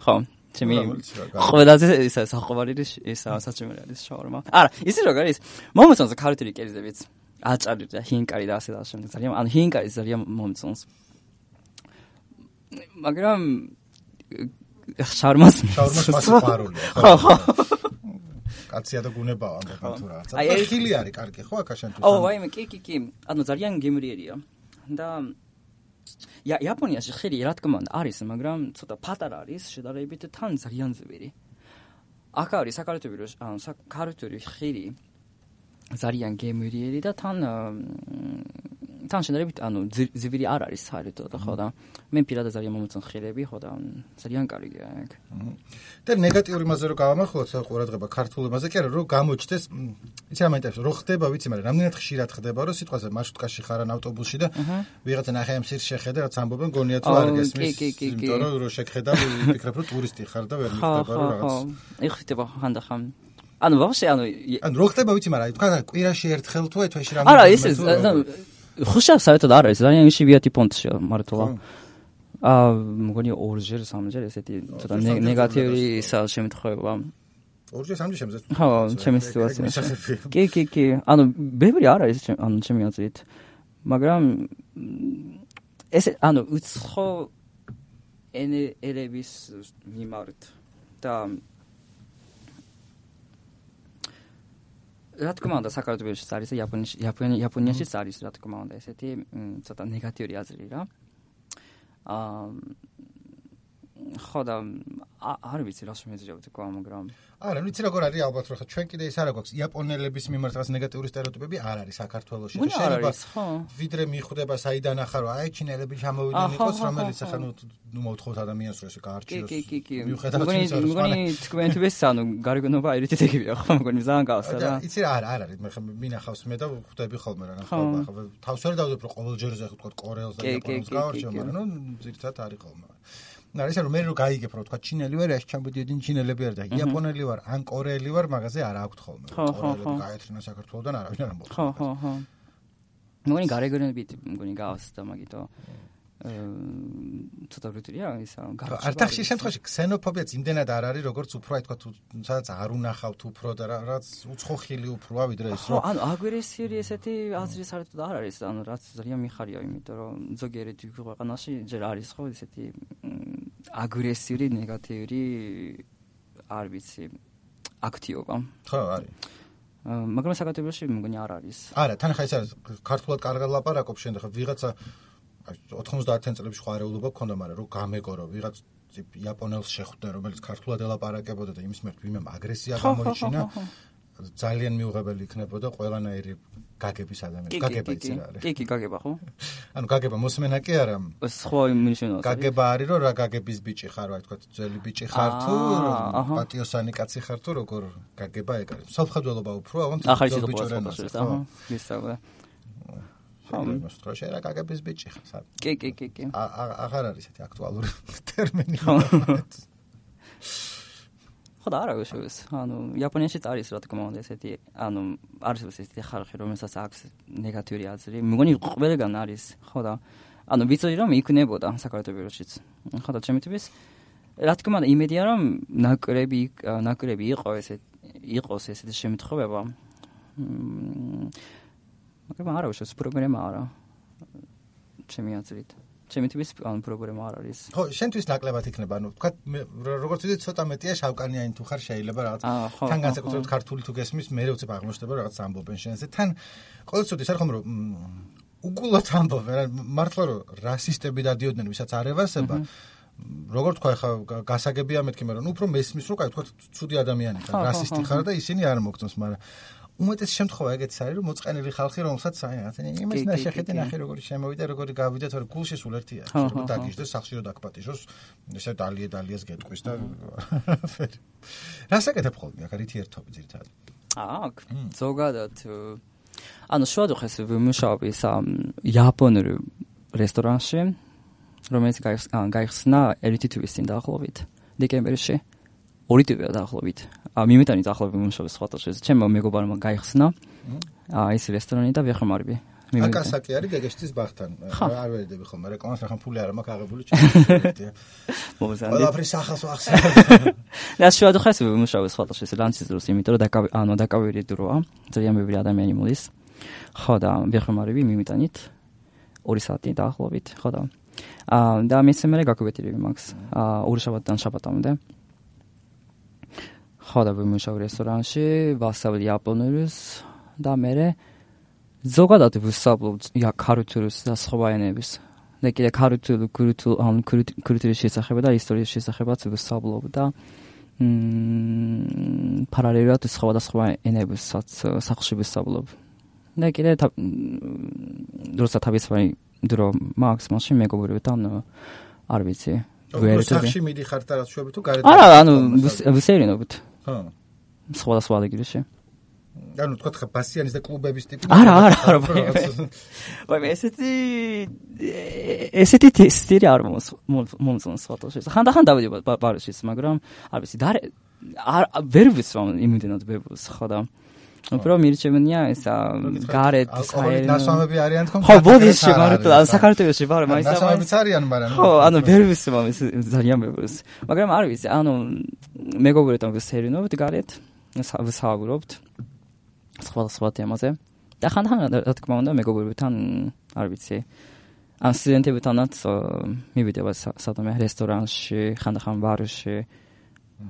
ხო, ჩემი ყველაზე ისა საყვარელი ისა საჭმელი არის შაურმა. არა, ისი როგორ არის? მომწონს ქარიტული კერძებიც. აჭარი და ჰინკარი და ასე და შემდეგ. ძალიან ანუ ჰინკარი ძალიან მომწონს. მაგრამ შაურმას შაურმას მასიყვარულია. ხო, ხო. კაცია და გუნებაა ამბობენ თუ რა. აი ხილი არის კარგი ხო აქაშენთვის. ო, ვაიმე, კი, კი, კი. ანუ ძალიან გემრიერია. და ია იაპონიაში ხილი რა თქმა უნდა არის, მაგრამ ცოტა პატარა არის შედარებით თან ძალიან ძვირი. აქ არის საქართველოს ანუ საქართველოს ხილი ძალიან გემრიერი და თან თან შედარებით ანუ ძვირი არ არის საერთოდ ხო და მე პირადად ძალიან მომწონს ხილები ხო და ძალიან კარგია ეგ. და ნეგატიური მასზე რო გავამახვილოთ ყურადღება ქართულ მასზე კი არა რომ გამოჩნდეს იცი რა მაინტერესებს რო ხდება ვიცი მაგრამ რამდენად ხშირად ხდება რომ სიტყვაზე მარშრუტკაში ხარ ან ავტობუსში და ვიღაცა ნახე ამ სირს შეხედე რაც ამბობენ გონია თუ არ გესმის იმიტომ რომ რო შეგხედა ვიფიქრებ რომ ტურისტი ხარ და ვერ მიხდება რომ რაღაც ხო იხდება ხანდახან ანუ ვაფშე ანუ ანუ რო ხდება ვიცი მაგრამ თქვა კვირაში ერთხელ თუ ეთვეში რამე არა ეს ხუშა საერთოდ არ არის ძალიან იშვიათი პონტშია მართლა აა მგონი ორჯერ სამჯერ ესეთი ცოტა ნეგატიური ისა შემთხვევა ორჯერ სამჯერ შემძეთ ხო ჩემი სიტუაცია კი კი კი ანუ ბევრი არ არის ანუ ჩემი აზრით მაგრამ ეს ანუ უცხო ენების მიმართ და რა თქმა უნდა საქართველოშიც არის და იაპონიაში იაპონიაშიც არის რა თქმა უნდა ესეთი ცოტა ნეგატიური აზრი რა აა ხო და არ ვიცი რა შემეძლია ვთქვა მაგრამ არა ვიცი როგორ არის ალბათ რომ ჩვენ კიდე ის არ აქვს იაპონელების მიმართ რაღაც ნეგატიური სტერეოტიპები არ არის საქართველოში შეიძლება ვიდრე მიხვდება საიდან ახარო აი ჩინელები ჩამოვიდნენ იყოს რომელიც ახლა ნუ მოთხოვთ ადამიანს რომ ესე გაარჩიოს კი კი კი მგონი მგონი თქვენთვის ანუ გარეგნობა ერითითებია ხო მგონი ძალიან გავს რა იცი რა არ არის მე მინახავს მე და ხვდები ხოლმე რა ხო ახლა თავს ვერ დავდებ რომ ყოველ ჯერზე ხო თქვა კორეელს და იაპონელს გავარჩევ მაგრამ ნუ ზირთად არის ხოლმე არა ისე რომ მე რო გაიგებ რომ თქვა ჩინელი ვარ ეს ჩამოდიოდნენ ჩინელები არ და იაპონელი ვარ ან კორეელი ვარ მაგაზე არ აქვთ ხოლმე კორეელები გაეთრინა საქართველოსთან არავინ არ ამბობს ხო ხო ხო მგონი გარეგნობით მგონი გავს და მაგითო ცოტა რუტილია ისა არტახში შემთხვევაში ქსენოფობიაც იმდენად არ არის როგორც უფრო აი თქვა თუ სადაც არ უნახავთ უფრო და რაც უცხოხილი უფროა ვიდრე ის რომ ანუ აგრესიული ესეთი აზრი საერთოდ არ არის ანუ რაც ძალიან მიხარია იმიტომ რომ ზოგიერთი ქვეყანაში ჯერ არის ხო ესეთი აგრესიული ნეგატიური არ ვიცი აქტიობა ხო არის მაგრამ საქართველოში მგონი არ არის არა თან ხა ეს არის ქართულად კარგად ლაპარაკობ შენ ხა ვიღაცა ოთხმოცდაათიან წლებში ხო არეულობა გქონდა მაგრამ რომ გამეგორო ვიღაც იაპონელს შეხვდნენ რომელიც ქართულად ელაპარაკებოდა და იმის მერთ ვინმე აგრესია გამოიჩინა ძალიან მიუღებელი იქნებოდა ყველანაირი გაგების ადამიანი გაგება იცი რა არის კი კი გაგება ხო ანუ გაგება მოსმენა კი არა სხვა მინიშნავს გაგება არის რომ რა გაგების ბიჭი ხარ რა თქვა ძველი ბიჭი ხარ თუ პატიოსანი კაცი ხარ თუ როგორ გაგება ეგ არის სამხედველობა უფრო აღარ ძველ ბიჭურენას აჰა ისაა მოსტროშე რა გაგების ბიჭი ხარ კი კი კი კი აღარ არის ესეთი აქტუალური ტერმინი ხო და არა შევის ანუ იაპონიაში არის რა თქმა უნდა ესეთი ანუ არის ესეთი ხალხი რომელსაც აქვს ნეგატიური აზრი მგონი ყველგან არის ხო და ანუ ვიცოდი რომ იქნებოდა საქართველოშიც ხო და ჩემი თქმის რა თქმა უნდა იმედია რომ ნაკრები ნაკრები იყო ესეთ იყოს ესეთი შემთხვევა მაგრამ არა შევის პრობლემა არა ჩემი აზრით ჩემი თვითონ ან პრობლემა არ არის. ხო, შენთვის ნაკლებად იქნება, ანუ თქვა როგორც ვიდეო ცოტა მეტია შავკანიანი თუ ხარ შეიძლება რაღაც თან განსაკუთრებით ქართული თუ გესმის მე უცებ აღმოჩნდება რაღაც ამბობენ შენზე. თან ყოველწოდეს არ ხომ რომ უგულოდ ამბობენ, მართლა რომ რასისტები დადიოდნენ ვისაც არ ევასება. როგორ თქვა ხა გასაგებია მეთქი, მაგრამ უფრო მესმის რომ კაი თქვა ცუდი ადამიანი ხარ, რასისტი ხარ და ისინი არ მოგწონს, მაგრამ უმეტეს შემთხვევა ეგეც არის რომ მოწყენილი ხალხი რომელსაც აი რაღაცა იმას ნაშეხეთი ნახე როგორი შემოვიდა როგორი გავიდა თორე გულში სულ ერთია შეიძლება დაგიჟდეს სახში რომ დაგპატიჟოს ესე დალიე დალიეს გეტყვის და რას აკეთებ ხოლმე აქ რითი ერთობი ძირითადად აქ ზოგადად ანუ შევადუხეს ვიმუშავები სა იაპონურ რესტორანში რომელიც გაიხსნა ერთი თვის წინ დაახლოებით დეკემბერში ორი თვეა დაახლოებით. მიმეტანი დაახლოებით მომშოვე სხვათა შეზე. ჩემო მეგობარმა გაიხსნა ეს რესტორანი და ვეხმარები. აკასაკი არის გეგეშტის ბაღთან. არ ვერიდები ხოლმე რეკლამას რახან ფული არ მაქვს აღებული ჩემი. მოგზანდი. ყველაფრის ახალს ვახსენებ. და შევადუხეს მომშოვე სხვათა შეზე ლანჩის დროს, იმიტომ რომ დაკავი ანუ დაკავიერი დროა. ძალიან ბევრი ადამიანი მოდის. ხო და ვეხმარები მიმეტანით ორი საათი დაახლოებით. ხო და აა და მესამე გაკვეთილები მაქვს. აა ორი შაბათიდან შაბათამდე. ხო და ვიმუშავ რესტორანში, ვასწავლე იაპონურს და მე ზოგადად ვისწავლობ ქართულს და სხვა ენებს. და კიდე ქართულ ქართულ ან ქართულის შესახებ და ისტორიის შესახებაც ვისწავლობ და მ პარალელურად სხვა და სხვა ენებსაც სახლში ვისწავლობ. და კიდე როცა თავისუფალი დრო მაქვს მაშინ მეგობრებთან არ ვიცი. სახლში მიდიხარ და რაც შევები თუ გარეთ არა ანუ ვისერინობთ. ხო. სხვა და სხვა დეგრეში. ანუ თქვა ხა ბასიანის და კლუბების ტიპი. არა, არა, არა. ვაი, ესეთი ესეთი სტილი არ მომწონს სხვათა შორის. ხანდახან დავიდი ბარში, მაგრამ არ ვიცი, და არ ვერ ვიცვამ იმდენად ბებოს, ხო და უფრო მირჩევნია ესა გარეთ საერთოდ ნასვამები არიან თქო ხო ბოდიში მართლა საქართველოში ვარ მაინც ნასვამებიც არიან მაგრამ ხო ანუ ვერ ვიცვამ ეს ძალიან ბევრს მაგრამ არ ვიცი ანუ მეგობრებთან ვისერინობთ გარეთ ვსაუბრობთ სხვა სხვა თემაზე და ხანდახან რა თქმა უნდა მეგობრებთან არ ვიცი ან სტუდენტებთანაც მივიდება სადამე რესტორანში ხანდახან ბარში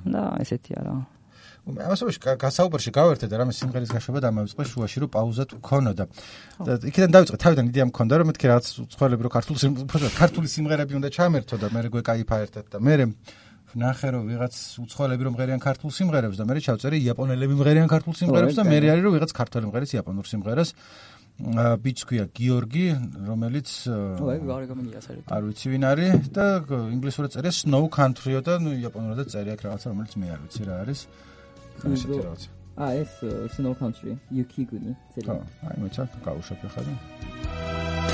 და ესეთი არა ამასობაში გასაუბრში გავერთე და რამე სიმღერის გაშვება დამავიწყე შუაში რომ პაუზა თუ ქონოდა და იქიდან დავიწყე თავიდან იდეა მქონდა რომ მეთქი რაღაც უცხოელები რომ ქართული ქართული სიმღერები უნდა ჩამერთო და მე გვეკაიფა ერთად და მე ნახე რომ ვიღაც უცხოელები რომ მღერიან ქართულ სიმღერებს და მე ჩავწერე იაპონელები მღერიან ქართულ სიმღერებს და მე არის რომ ვიღაც ქართველი მღერის იაპონურ სიმღერას ბიჭს ქვია გიორგი რომელიც არ ვიცი ვინ არის და ინგლისურად წერია Snow Country-ო და ნუ იაპონურად წერია აქ რაღაცა რომელიც მე არ ვიცი რა არის ესეთი რაღაცა აა ეს Snow Country Yukiguni წერია აი მოიცა გავუშვებ ხა და「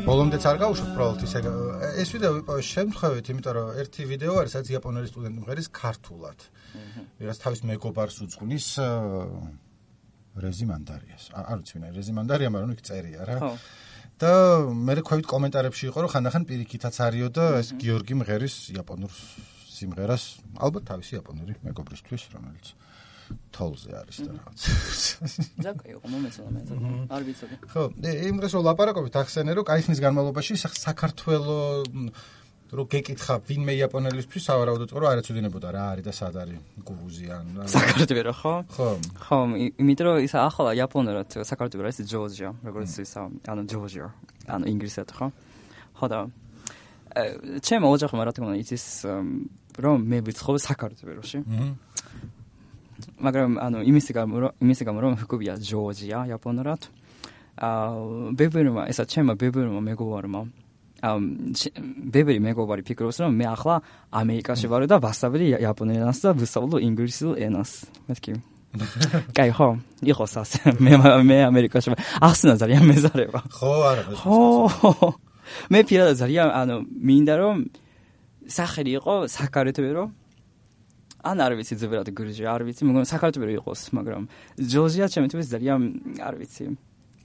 ბოლომდეც არ გავუშვათ უბრალოდ ისე ეს ვიდეო ვიპოვე შემთხვევით, იმიტომ რომ ერთი ვიდეო არის, სადაც იაპონელი სტუდენტი მღერის ქართულად. ვიღაც თავის მეგობარს უძღვნის რეზიმანდარიას. არ ვიცი ვინ არის რეზიმანდარია, მაგრამ იქ წერია რა. და მე ხვევით კომენტარებში იყო, რომ ხანდახან პირიქითაც არისო და ეს გიორგი მღერის იაპონურ სიმღერას, ალბათ თავისი იაპონური მეგობრისთვის, რომელიც თოლზე არის და რაღაც. ზაკი იყო მომეცადა მე. არ ვიცოდი. ხო, იმ დღეს რომ ლაპარაკობთ ახსენე რომ კაი ხნის განმავლობაში საქართველოს რო გეკითხა ვინმე იაპონელისთვის სავარაუდოდ რომ არ ეცოდინებოდა რა არის და სად არის გურუზიან. საქართველო ხო? ხო. ხო, იმიტომ რომ ისა ახლა იაპონურად საქართველო არის ჯორჯია, როგორც ისა, ანუ ჯორჯია, ანუ ინგლისურად ხო? ხო და ჩემო ოჯახმა რა თქმა უნდა იცის რომ მე ვიცხოვ საქართველოში. აჰა. მაგრამ ანუ იმის გამო რომ იმის გამო რომ ჰქობია ჯორჯია იაპონურად. აა ბებერმა ესა ჩემო ბებერმა მეგობარმა ამ ბებერი მეგობარი ფიქრობს რომ მე ახლა ამერიკაში ვარ და ვასწავლე იაპონურ ენას და ვისწავლო ინგლისურ ენას. მეთქი. კაი ხო, იყოს ასე. მე მე ამერიკაში ვარ. ახსნა ძალიან მეზარება. ხო, არა. ხო. მე პირადად ძალიან ანუ მინდა რომ სახელი იყო საკარეთვერო ან არ ვიცი ზოგადად გურჯია არ ვიცი მაგრამ საქართველოს იყოს მაგრამ ჯორჯია ჩემთვის ძალიან არ ვიცი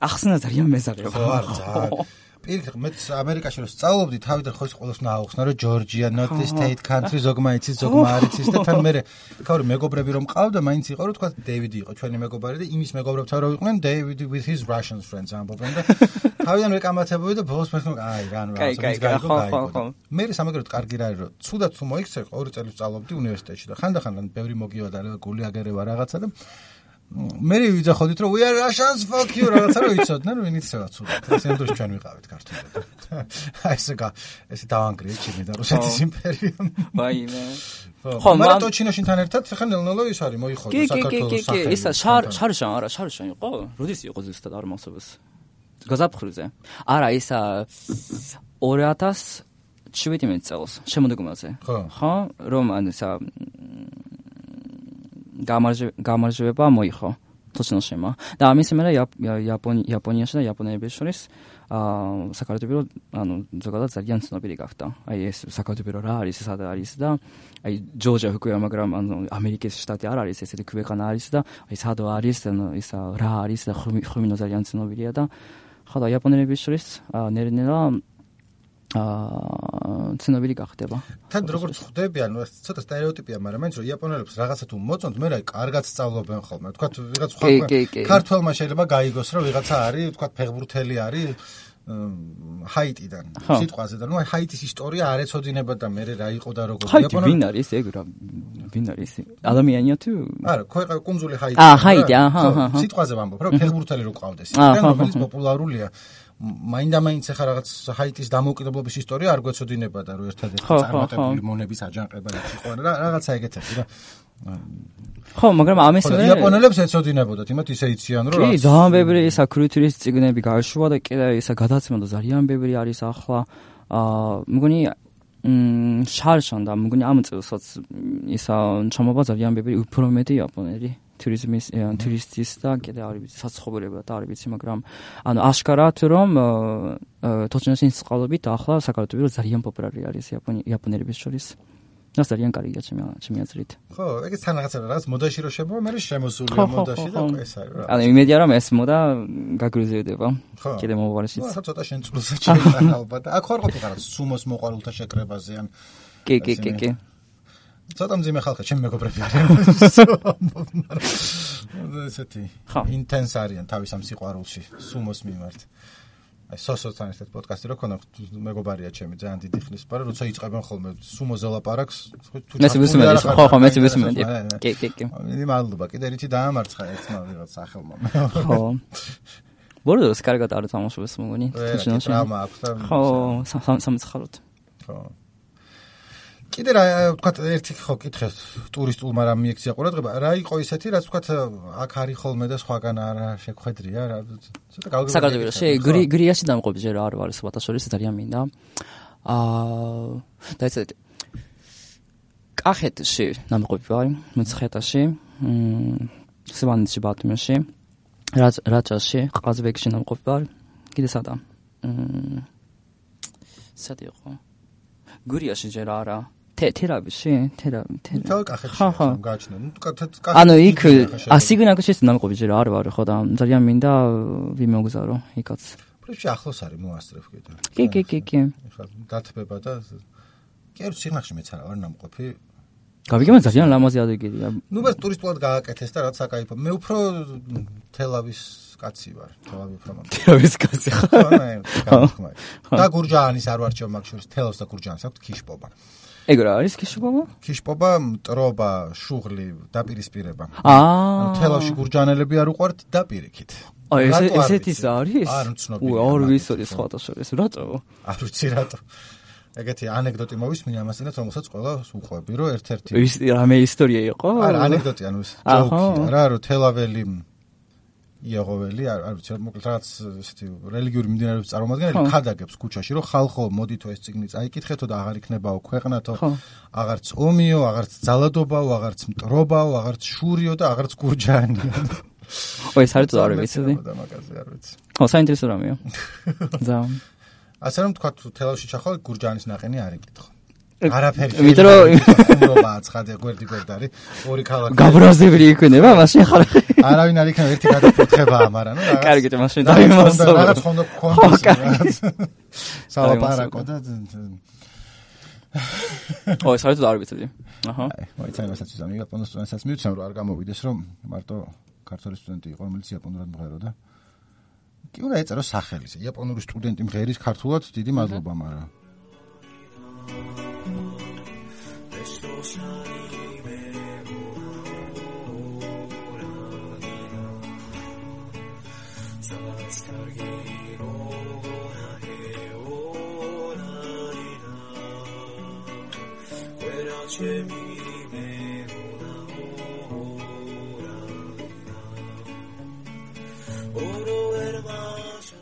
ახსნა ძალიან მეზარება ხო არ ძალიან პირიქით მე ამერიკაში რომ სწავლობდი თავიდან ხო ის ყოველს უნდა აუხსნა რომ ჯორჯია not the state country ზოგმა იცის ზოგმა არ იცის და თან მე ხავრი მეგობრები რომ მყავდა მაინც იყო რომ თქვა დეივიდი იყო ჩვენი მეგობარი და იმის მეგობრებთან რომ იყვნენ დეივიდი with his Russian friends ამბობენ და თავიდან ვეკამათებოდი და ბოლოს მეთქო აი რა ნუ რაღაცა გაიგო გაიგო მე სამაგეროდ კარგი რა არის რომ ცუდად თუ მოიქცე ორი წელი სწავლობდი უნივერსიტეტში და ხანდახან ბევრი მოგიოდა რა გული აგერევა რაღაცა და მე ვიძახოდით რომ we are Russians fuck you რაღაცა რომ იცოდნენ რომ ვინ იცოდა ცუდად ეს ამ დროს ჩვენ ვიყავით ქართულად აი ესე გა ესე დავანგრიეთ ჩემი და რუსეთის იმპერიამ ვაიმე ხო მაგრამ ტოჩინოში თან ერთად ხა ნელ-ნელა ის არის მოიხოდა საქართველოს სახელი კი კი კი ისა შარ შარშან არა შარშან იყო როდის იყო ზუსტად არ მახსოვს გაზაფხულზე არა ისა ორი ათას შვიდმეტ წელს შემოდგომაზე ხო რომ ან ისა გამარჯვება მოიხო თოჩნოშემა და ამის მერე იაპონიაში და იაპონელების შორის აა საქართველოს ანუ ზოგადად ძალიან ცნობილი გახდა. აი ეს საქართველოს რა არის, სად არის და აი ჯორჯია ჰქويا, მაგრამ ანუ ამერიკის შტატი არ არის, ესეთი ქვეყანა არის და აი სადო არის, ანუ ისა რა არის და ხუმინო ძალიან ცნობილია და ხო და იაპონელების შორის ნერნელა აა ცნობილი გახდება. თან როგორც ხვდები, ანუ ეს ცოტა სტერეოტიპია, მაგრამ მაინც რომ იაპონელებს რაღაცა თუ მოწონთ, მე რა კარგად სწავლობენ ხოლმე. თქვათ ვიღაც სხვა ქართველმა შეიძლება გაიგოს, რომ ვიღაცა არის, თქვათ ფეხბურთელი არის ჰაიტიდან. სიტყვაზე და ნუ აი ჰაიტის ისტორია არ ეცოდინება და მე რა იყო და როგორ იაპონელი ვინ არის ეგ რა ვინ არის ადამიანია თუ არა ქვეყანა კუნძული ჰაიტი. აა ჰაიტი აჰა აჰა სიტყვაზე ვამბობ, რომ ფეხბურთელი რო ყავდეს. ისე რომელიც პოპულარულია. მაინდა-მაინც ახლა რაღაც ჰაიტის დამოუკიდებლობის ისტორია არ გვეცოდინება და რო ერთადერთი წარმატებული მონების აჯანყება იყო რა რაღაცა ეგეთები რა. ხო, მაგრამ ამის მერე იაპონელებს ეცოდინებოდათ, იმათ ისე იციან რომ კი, ძალიან ბევრი ისა კულტურის წიგნები გააშვა და კიდე ისა გადაცემა და ძალიან ბევრი არის ახლა. აა მგონი მ შარშან და მგონი ამ წელსაც ისა ჩამოვა ძალიან ბევრი უფრო მეტი იაპონელი ტურიზმის ტურისტის და კიდე არ ვიცი საცხოვრებლად არ ვიცი მაგრამ ანუ აშკარად რომ თოჩნოსის წყალობით ახლა საქართველოს ძალიან პოპულარი არის იაპონელების შორის და ძალიან კარგია ჩემი ჩემი აზრით ხო ეგეც თან რაღაცა რაღაც მოდაში რო შემოვა მე შემოსულია მოდაში და ეს არის რა ანუ იმედია რომ ეს მოდა გაგრიზდება კიდე მომავალშიც ხო ცოტა შენ წულსაც შეიძლება ალბათ აქ ხარ ყოფილი რაღაც სუმოს მოყვარულთა შეკრებაზე ან კი კი კი კი ცოტა მძიმე ხალხი ჩემი მეგობრები არიან ესეთი ინტენს არიან თავის ამ სიყვარულში სუმოს მიმართ აი სოსოთან ერთად პოდკასტი რო ქონა მეგობარია ჩემი ძალიან დიდი ხნის პარა როცა იწყებენ ხოლმე სუმოზე ლაპარაკს თუ მეც ვისმენდი ხო ხო მეც ვისმენდი კი კი კი მე მადლობა კიდე რითი დაამარცხა ერთმა ვიღაც სახელმა ხო ბორდოს კარგად არ თამაშობს მოგონი თუჩინოში ტრაუმა აქვს და ხო სამცხაროდ ხო კიდე რა ვთქვათ ერთი ხო კითხეს ტურისტულმა რა მიექცია ყურადღება რა იყო ისეთი რაც ვთქვათ აქ არის ხოლმე და სხვაგან არა შეგხვედრია რა ცოტა გავიგებია საქართველოში გრიაში დამყოფი ჯერ არ ვარ სხვათა შორის ძალიან მინდა აა და ესე კახეთში დამყოფი ვარ მეცხრეტაში სვანეთში ბათუმში რაჭაში ყაზბეგში დამყოფი ვარ კიდე სადა სადი იყო გურიაში ჯერ არა თერაპიაში თერაპი თელ კახეთში გააჩნია ნუ კახეთში ანუ იქ ასიგნაკში დამყოფი ჯერ არ ვარ ხო და ძალიან მინდა ვიმოგზარო იქაც პრინციპში ახლოს არის მოასწრებ კიდე კი კი კი კი ეხლა დათბება და კი არ სიღნაღში მეც არა ვარ დამყოფი გავიგებმა ძალიან ლამაზი ადგილია ნუ მე ტურისტულად გააკეთეს და რაც აკაიფო მე უფრო თელავის კაცი ვარ თელავი უფრო მაგ თელავის კაცი ხო და გურჯაანის არ ვარჩევ მაგ შორის თელავს და გურჯაანს აქვს ქიშპობა ეგ რა არის ქიშპობა ქიშპობა მტრობა შუღლი დაპირისპირება აა თელავში გურჯაანელები არ უყვართ დაპირიქით აი ეს ესეთის არის არ მცნობია არ ვიცოდი სხვათა შორის რატო არ ვიცი რატო ეგეთი ანეკდოტი მოვისმინე ამასინაც რომელსაც ყველას უყვები რომ ერთ-ერთი ის რამე ისტორია იყო არა ანეკდოტი ანუ ჯოკი რა რომ თელაველი იაღოველი არ ვიცი მოკლედ რაღაც ესეთი რელიგიური მიმდინარეობის წარმომადგენელი ქადაგებს ქუჩაში რომ ხალხო მოდითო ეს წიგნი წაიკითხეთო და აღარ იქნებაო ქვეყნათო აღარც ომიო აღარც ძალადობაო აღარც მტრობაო აღარც შურიო და აღარც გურჯაანიო ой საერთოდ არ ვიცოდი და მაგაზე არ ვიცი ხო საინტერესო რამეა ზა ასე რომ თქვა თუ თელავში ჩახვალ გურჯაანის ნაყენი არ იკითხო არაფერი მეტრო ხუმრობაა ცხადე გვერდი გვერდარი ორი ქალაქი გაბრაზებული იქნება მაშინ ხარ არავინ არ იქნება ერთი გადაფუთხებაა მაგრამ ნუ რაღაც კარგით მაშინ დაიმასო რაღაც ხონდა გქონდეს სალაპარაკო და ой საერთოდ არ ვიცოდი აჰა აი წაიმასაც ვიზამ იაპონურ სტუდენტსაც მივცემ რომ არ გამოვიდეს რომ მარტო ქართველი სტუდენტი იყო რომელიც იაპონურად მღეროდა კი უნდა ეწერო სახელი იაპონური სტუდენტი მღერის ქართულად დიდი მადლობა მაგრამ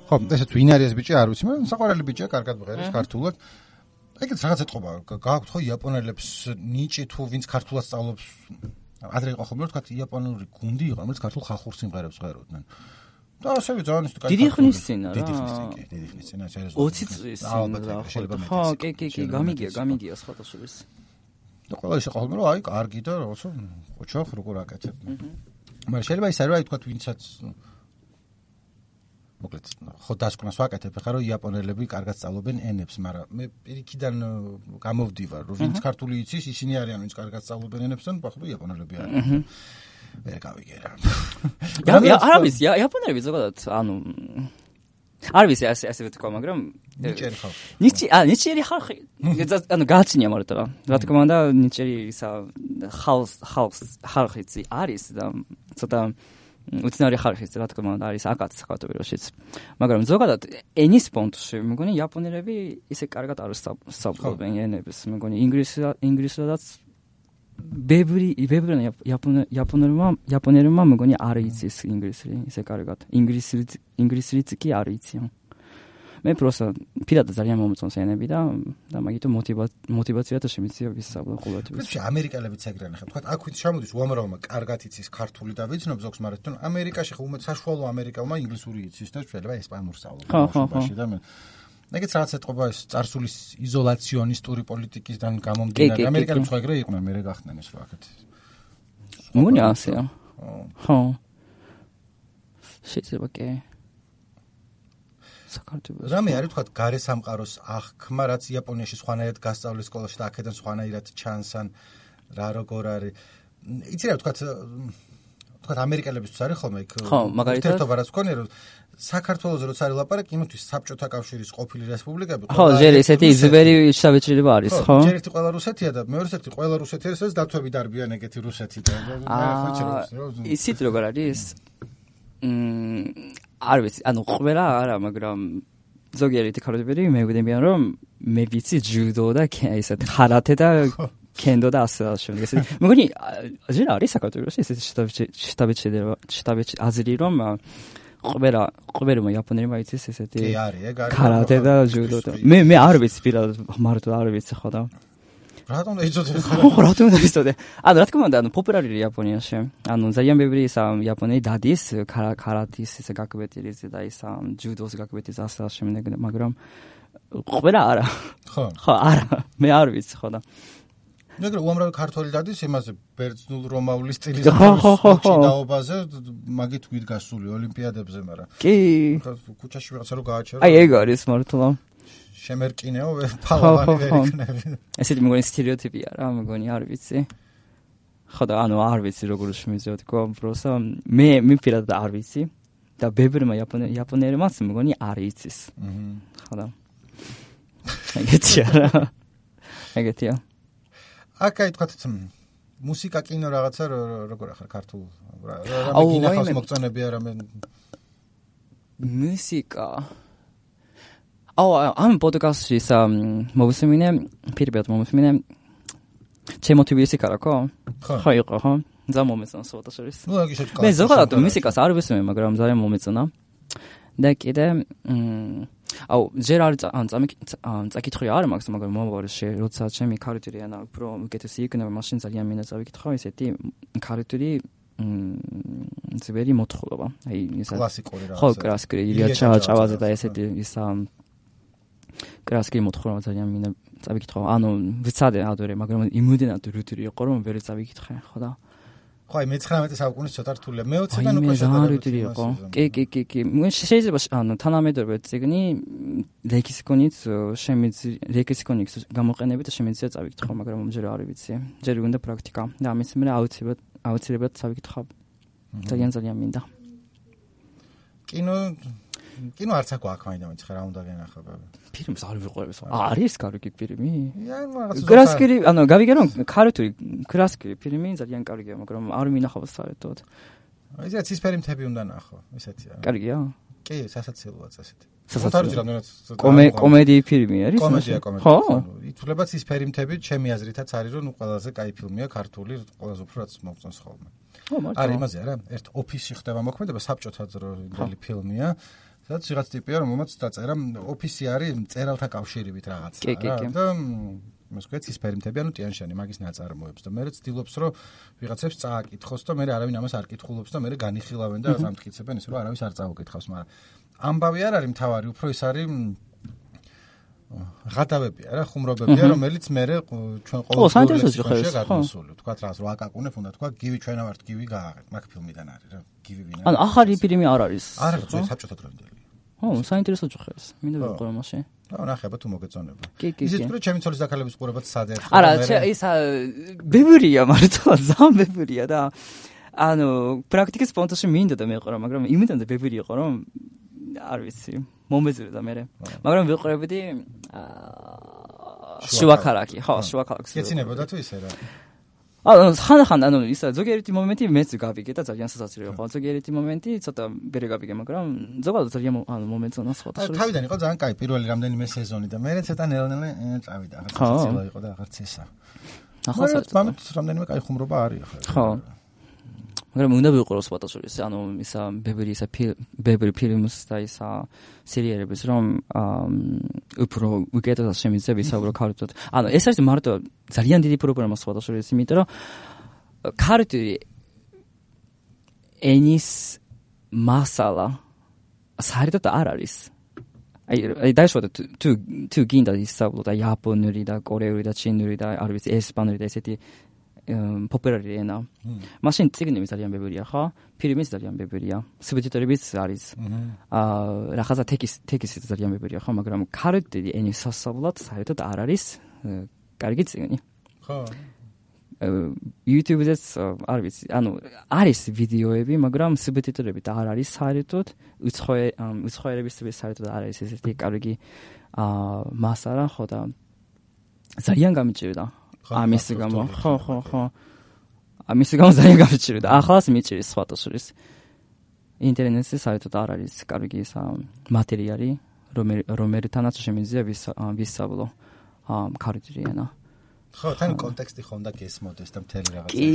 ხო, ესეც ვინ არის ეს ბიჭი არ ვიცი, მაგრამ საყვარელი ბიჭია, კარგად მღერის ქართულად. ეგეც რაღაც ეთყობა, გააქვთ ხო იაპონელებს ნიჭი თუ ვინც ქართულად სწავლობს. ადრე იყო ხოლმე თქვა იაპონური გუნდი იყო, რომელიც ქართულ ხალხურ სიმღერებს ღეროდნენ. და ასევე ძალიან ის დიდი ხნის წინ რა. დიდი ხნის წინ, კი, დიდი ხნის წინ, შეიძლება ოცი წლის წინ რა. ხო, კი, კი, კი, გამიგია, გამიგია სხვათა შორის. და ყველა ის იყო ხოლმე რომ აი, კარგი და რაღაცა ოჩახ როგორ აკეთებ. მაგრამ შეიძლება ის არის, აი თქვა ვინცაც მოკლედ ხო დასკვნას ვაკეთებ ხა რომ იაპონელები კარგად სწავლობენ ენებს, მაგრამ მე პირიქიდან გამოვდივარ რომ ვინც ქართული იცის, ისინი არიან ვინც კარგად სწავლობენ ენებს და ნუ იაპონელები არიან. ვერ გავიგერა. არ ვიცი, იაპონელები ზოგადად ანუ არ ვიცი ასე ასე ვთქვა, მაგრამ ნიჭიერი ხალხი. ნიჭი ა ნიჭიერი ხალხი. ანუ გააჩნია მარტო რა. რა თქმა უნდა ნიჭიერი ისა ხალხ ხალხ ხალხი არის და ცოტა უცნაური ხალხის რა თქმა უნდა არის აკაც საქართველოშიც. მაგრამ ზოგადად ენის პონტში მეგონი იაპონელები ისე კარგად არ სწავლობენ ენებს. მეგონი ინგლისურად ინგლისურადაც ბევრი ბევრი იაპონელმა იაპონელმა მეგონი არ იცის ინგლისური ისე კარგად. ინგლისურიც ინგლისურიც კი არ იციან. მე პროსა პირადად ძალიან მომწონს ენები და და მაგითო მოტივაცია და შემიძლია ვისწავლო ყოველთვის. პრინციპში ამერიკელებიც ეგრე ნახე. თქვა აქ ვით ჩამოდის უამრავმა კარგად იცის ქართული და ვიცნობ ზოგს, მაგრამ თვითონ ამერიკაში ხო უმეტ საშუალო ამერიკელმა ინგლისური იცის და შეიძლება ესპანურს სწავლობს ბავშვობაში და მე ეგეც რაღაც ეთყობა ეს წარსულის იზოლაციონისტური პოლიტიკისგან გამომდინარე. ამერიკელებს ხო ეგრე იყვნენ, მე გახდნენ ეს რა აქეთ. მგონი ასეა. ხო. შეიძლება კი საქართველოს. რამე არის თქვა გარე სამყაროს აღქმა, რაც იაპონიაში სხვანაირად გასწავლეს სკოლაში და აქედან სხვანაირად ჩანს ან რა როგორ არის. იცი რა თქვა თქვა ამერიკელებისთვის არის ხოლმე იქ ხო, მაგალითად ერთობა რაც გქონია რომ საქართველოს როცა არის ლაპარაკი იმისთვის საბჭოთა კავშირის ყოფილი რესპუბლიკები ხო ჯერ ესეთი ძველი შთაბეჭდილება არის ხო ჯერ ერთი ყველა რუსეთია და მეორე ერთი ყველა რუსეთი არის ეს დათვები დარბიან ეგეთი რუსეთი და ისიც როგორ არის მ არ ვიცი ანუ ყველა არა მაგრამ ზოგიერთი ქალები მეგოდებიან რომ მე ვიცი ჯუდო და ესეთ ხარათე და კენდო და ასე შემდეგ ესე მეგონი ჯერ არის საქართველოში ესეთი შთაბეჭდილება შთაბეჭ აზრი რომ ყველა ყველა იაპონელი მაიცის ესეთი ქარათე და ჯუდო და მე მე არ ვიცი პირადად მარტო არ ვიცი ხო და რატომ დაიწოდე ხო რატომ დაიწოდე ანუ რა თქმა უნდა ანუ პოპულარულია იაპონიაში ანუ ძალიან ბევრი ისა იაპონელი დადის ქარათის ესე გაკვეთილის და ისა ჯუდოს გაკვეთის ასე შემდეგ მაგრამ ყველა არა ხო ხო არა მე არ ვიცი ხო და მაგრამ უამრავი ქართველი დადის იმაზე ბერძნულ რომაული სტილის ჩინაობაზე მაგით ვით გასული ოლიმპიადებზე მაგრამ კი ქუჩაში ვიღაცა რო გააჩერა აი ეგ არის მართლა შემერკინეო ფალავანი ვერ იქნები ესეთი მეგონი სტერეოტიპია რა მეგონი არ ვიცი ხო და ანუ არ ვიცი როგორ შემიძლია თქო პროსა მე მე პირადად არ ვიცი და ბევრმა იაპონელმა მეგონი არ იცის ხო და ეგეთია რა ეგეთია აკაი თქვათ მუსიკა კინო რაღაცა როგორ ახარ ქართულ რა გინახავს მოგწონები არა მე მუსიკა აუ ამ პოდკასტში სა მოვისმინე პირბეთ მოვისმინე ჩემო თბილისი კარაკო ხო იყო ხო ზა მომეწონა სოთა შორის მე ზოგადად მუსიკას არ ვისმენ მაგრამ ძალიან მომეწონა და კიდე აუ ჯერ არ წაკითხრი არ მაქვს მაგრამ მომავალში როცა ჩემი ქარიტერი ანა უფრო უკეთესი იქნება მაშინ ძალიან მინდა წავიკითხო ესეთი ქარიტერი ძველი მოთხრობა აი ისა კლასიკური რა ხო კლასიკური ილია ჩაჭავაზე და ესეთი ისა კლასიკური მოთხრობა ძალიან მინდა წავიკითხო ანუ ვიცადე ადვერე მაგრამ იმოდენად რუთი იყო რომ ვერ წავიკითხე ხო და ხო აი მეცხრამეტე საუკუნის ცოტა რთულია მეოციდან უკვე შედარებით იყო კი კი კი კი შეიძლება ანუ თანამედროვე წიგნი ლექსიკონით შემიძლია ლექსიკონით გამოყენებით და შემიძლია წავიკითხო მაგრამ ჯერ არ ვიცი ჯერ უნდა პრაქტიკა და ამის მერე აუცილებლად აუცილებლად წავიკითხავ ძალიან ძალიან მინდა კინო კინო არც აქვს მაინც ხა რა უნდა გენახება ფილმს არ ვიყურებს არის კარგი ფილმი ან რაღაც კლასიკური ანუ გავიგე რომ ქართული კლასიკური ფილმი ძალიან კარგია მაგრამ არ მინახავს საერთოდ ისე ცისფერი მთები უნდა ნახო ესეთია კარგია კი სასაცილოა წესით სასაცილო კომედია ფილმი არის კომედია კომედია ხო ითვლება ცისფერი მთები ჩემი აზრითაც არის რომ ყველაზე კაი ფილმია ქართული ყველაზე უფრო რაც მოგწონს ხოლმე არის იმაზე არა ერთ ოფისში ხდება მოქმედება საბჭოთა დროინდელი ფილმია სადაც ვიღაც ტიპია რომელმაც დაწერა ოფისი არის მწერალთა კავშირივით რაღაცა რა და იმას ქვია ცისფერი მთები ანუ ტიან-შანი მაგის ნაწარმოებს და მე ცდილობს რომ ვიღაცებს წააკითხოს და მე არავინ ამას არ კითხულობს და მე განიხილავენ და ამტკიცებენ ისე რომ არავის არ წაუკითხავს მაგრამ ამბავი არ არის მთავარი უფრო ის არის ღადავებია რა ხუმრობებია რომელიც მე ჩვენ ყოველდღიურ ჯიხში გადმოსული თქვა რა რა აკაკუნებ უნდა თქვა გივი ჩვენა ვართ გივი გააღეთ მაგ ფილმიდან არის რა გივი ვინ არის ანუ ახალი ფილმი არ არის არ არის საბჭოთა დროინდელი ხო საინტერესო ჯიხეს მინდა ვიყურე მასე რა ნახება თუ მოგეწონება ისიც რომ ჩემი ცოლის დაქალების ყურებაც სად ერთხელ არა ისა ბევრია მართლა ზამ ბევრია და ანუ პრაქტიკის პონტში მინდა და მეყურა მაგრამ იმიდან და ბევრი იყო რომ არ ვიცი მომეძრე და მე მაგრამ ვიყურებდი შუაქარაკი ხო შუაქარაკს გეცინებოდა თუ ისე რა ანუ ხან-ხან ანუ ისა ზოგიერთი მომენტი მეც გავიგე და ძალიან სასაცილო იყო ზოგიერთი მომენტი ცოტა ვერ გავიგე მაგრამ ზოგადად ძალიან ანუ მომენტონა სხვა თავიდან იყო ძალიან კაი პირველი რამდენიმე სეზონი და მე ცოტა ნელ-ნელა წავიდა ახლა სასაცილო იყო და აღარც ესა ახლა რამდენიმე კაი ხუმრობა არის ახლა ხო მაგრამ უნდა ვიყუროს სპატაშორის ანუ ისა ბევრი ისა ბევრი ფილმს და ისა სერიალებს რომ უფრო უკეთესად შემიძლია ვისაუბრო ქართულად ანუ ეს არის მარტო ძალიან დიდი პრობლემა სპატაშორის იმიტომ რომ ქართული ენის მასალა საერთოდ არ არის აი დაიშვათ თუ თუ გინდა ისაუბრო და იაპონური და კორეული და ჩინური და არ ვიცი ესპანური და ესეთი პოპულარი ენა. მაშინ წიგნები ძალიან ბევრია, ხო? ფილმიც ძალიან ბევრია. სუბტიტრებიც არის. აა რაღაცა ტექსტ ტექსტიც ძალიან ბევრია, ხო, მაგრამ ქართული ენის სასწავლად საერთოდ არ არის კარგი წიგნი. ხო. YouTube-ზეც არ ვიცი, ანუ არის ვიდეოები, მაგრამ სუბტიტრებით არ არის საერთოდ, უცხოელების საერთოდ არ არის ესეთი კარგი მასალა, ხო და ძალიან გამიჭირდა. ამის გამო, ხო, ხო, ხო. ამის გამო ძალიან გამიჭირდა. ახლაც მიჭირის სხვადასხვის. ინტერნეტზე საერთოდ არ არის კარგი ეს მატერიალი, რომელთანაც შემიძლია ვისწავლო ქართული ენა. ხო, თან კონტექსტი ხონდა გესმოდეს და მთელი რაღაცა. კი,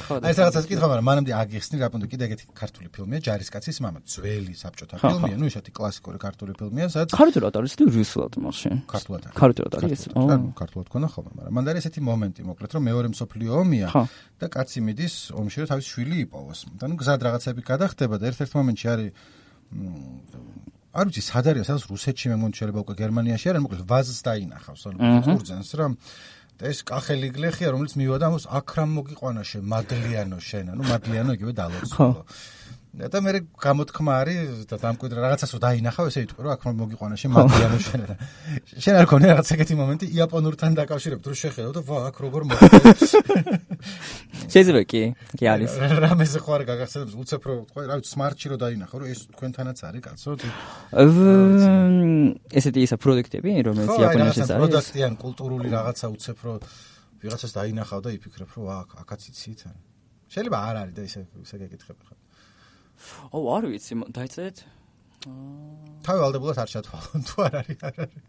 ხო. აი ეს რაღაცას კითხვა, მაგრამ მანამდე აგიხსნი, რა პუნქტი კიდე ეგეთი ქართული ფილმია, ჯარისკაცის მამა, ძველი საბჭოთა ფილმია, ну ისეთი კლასიკური ქართული ფილმია, სადაც ქართულად არის თუ რუსულად მაშინ? ქართულად არის. ქართულად არის. ო, ქართულად ქონა ხოლმე, მაგრამ მანდ არის ესეთი მომენტი, მოკლედ, რომ მეორე მსოფლიო ომია და კაცი მიდის ომში, რომ თავის შვილი იპოვოს. და ну გზად რაღაცები გადახდება და ერთ-ერთ მომენტში არის არ ვიცი, სად არის, სადაც რუსეთში მე მგონი შეიძლება უკვე გერმანიაში არის, მოკლედ ვაზს დაინახავს, ანუ კურძენს რა და ეს კახელი გლეხია, რომელიც მივიდა ამას აქ რამ მოგიყვანა შენ მადლიანო შენა, ну მადლიანო იგივე დალოცულო. და მე გამოთქმა არის და დამკვიდრა რაღაცას რომ დაინახავ, ესე იტყვი რომ აქ რამ მოგიყვანა შენ მადლიანო შენა. შენ არ ქონია რაღაც ეგეთი მომენტი იაპონურთან დაკავშირებით, რომ შეხედავ და ვა აქ როგორ მოგიყვანა. შეიძლება კი, კი არის. რამეზე ხო არ გაგახსენებს უცებრო, თქვა რა ვიცი, სმარტში რომ დაინახო, რომ ეს თქვენთანაც არის კაცო. ესეთი ისა პროდუქტები, რომელიც იაპონიაში არის. პროდუქტი ან კულტურული რაღაცა უცებრო ვიღაცას დაინახავ და იფიქრებ, რომ აქ აქაც იცით. შეიძლება არ არის და ისე ისე გეკითხები ხარ. ო, არ ვიცი, დაიწერეთ. თავი ვალდებულად არ ჩათვალო, თუ არ არის, არ არის.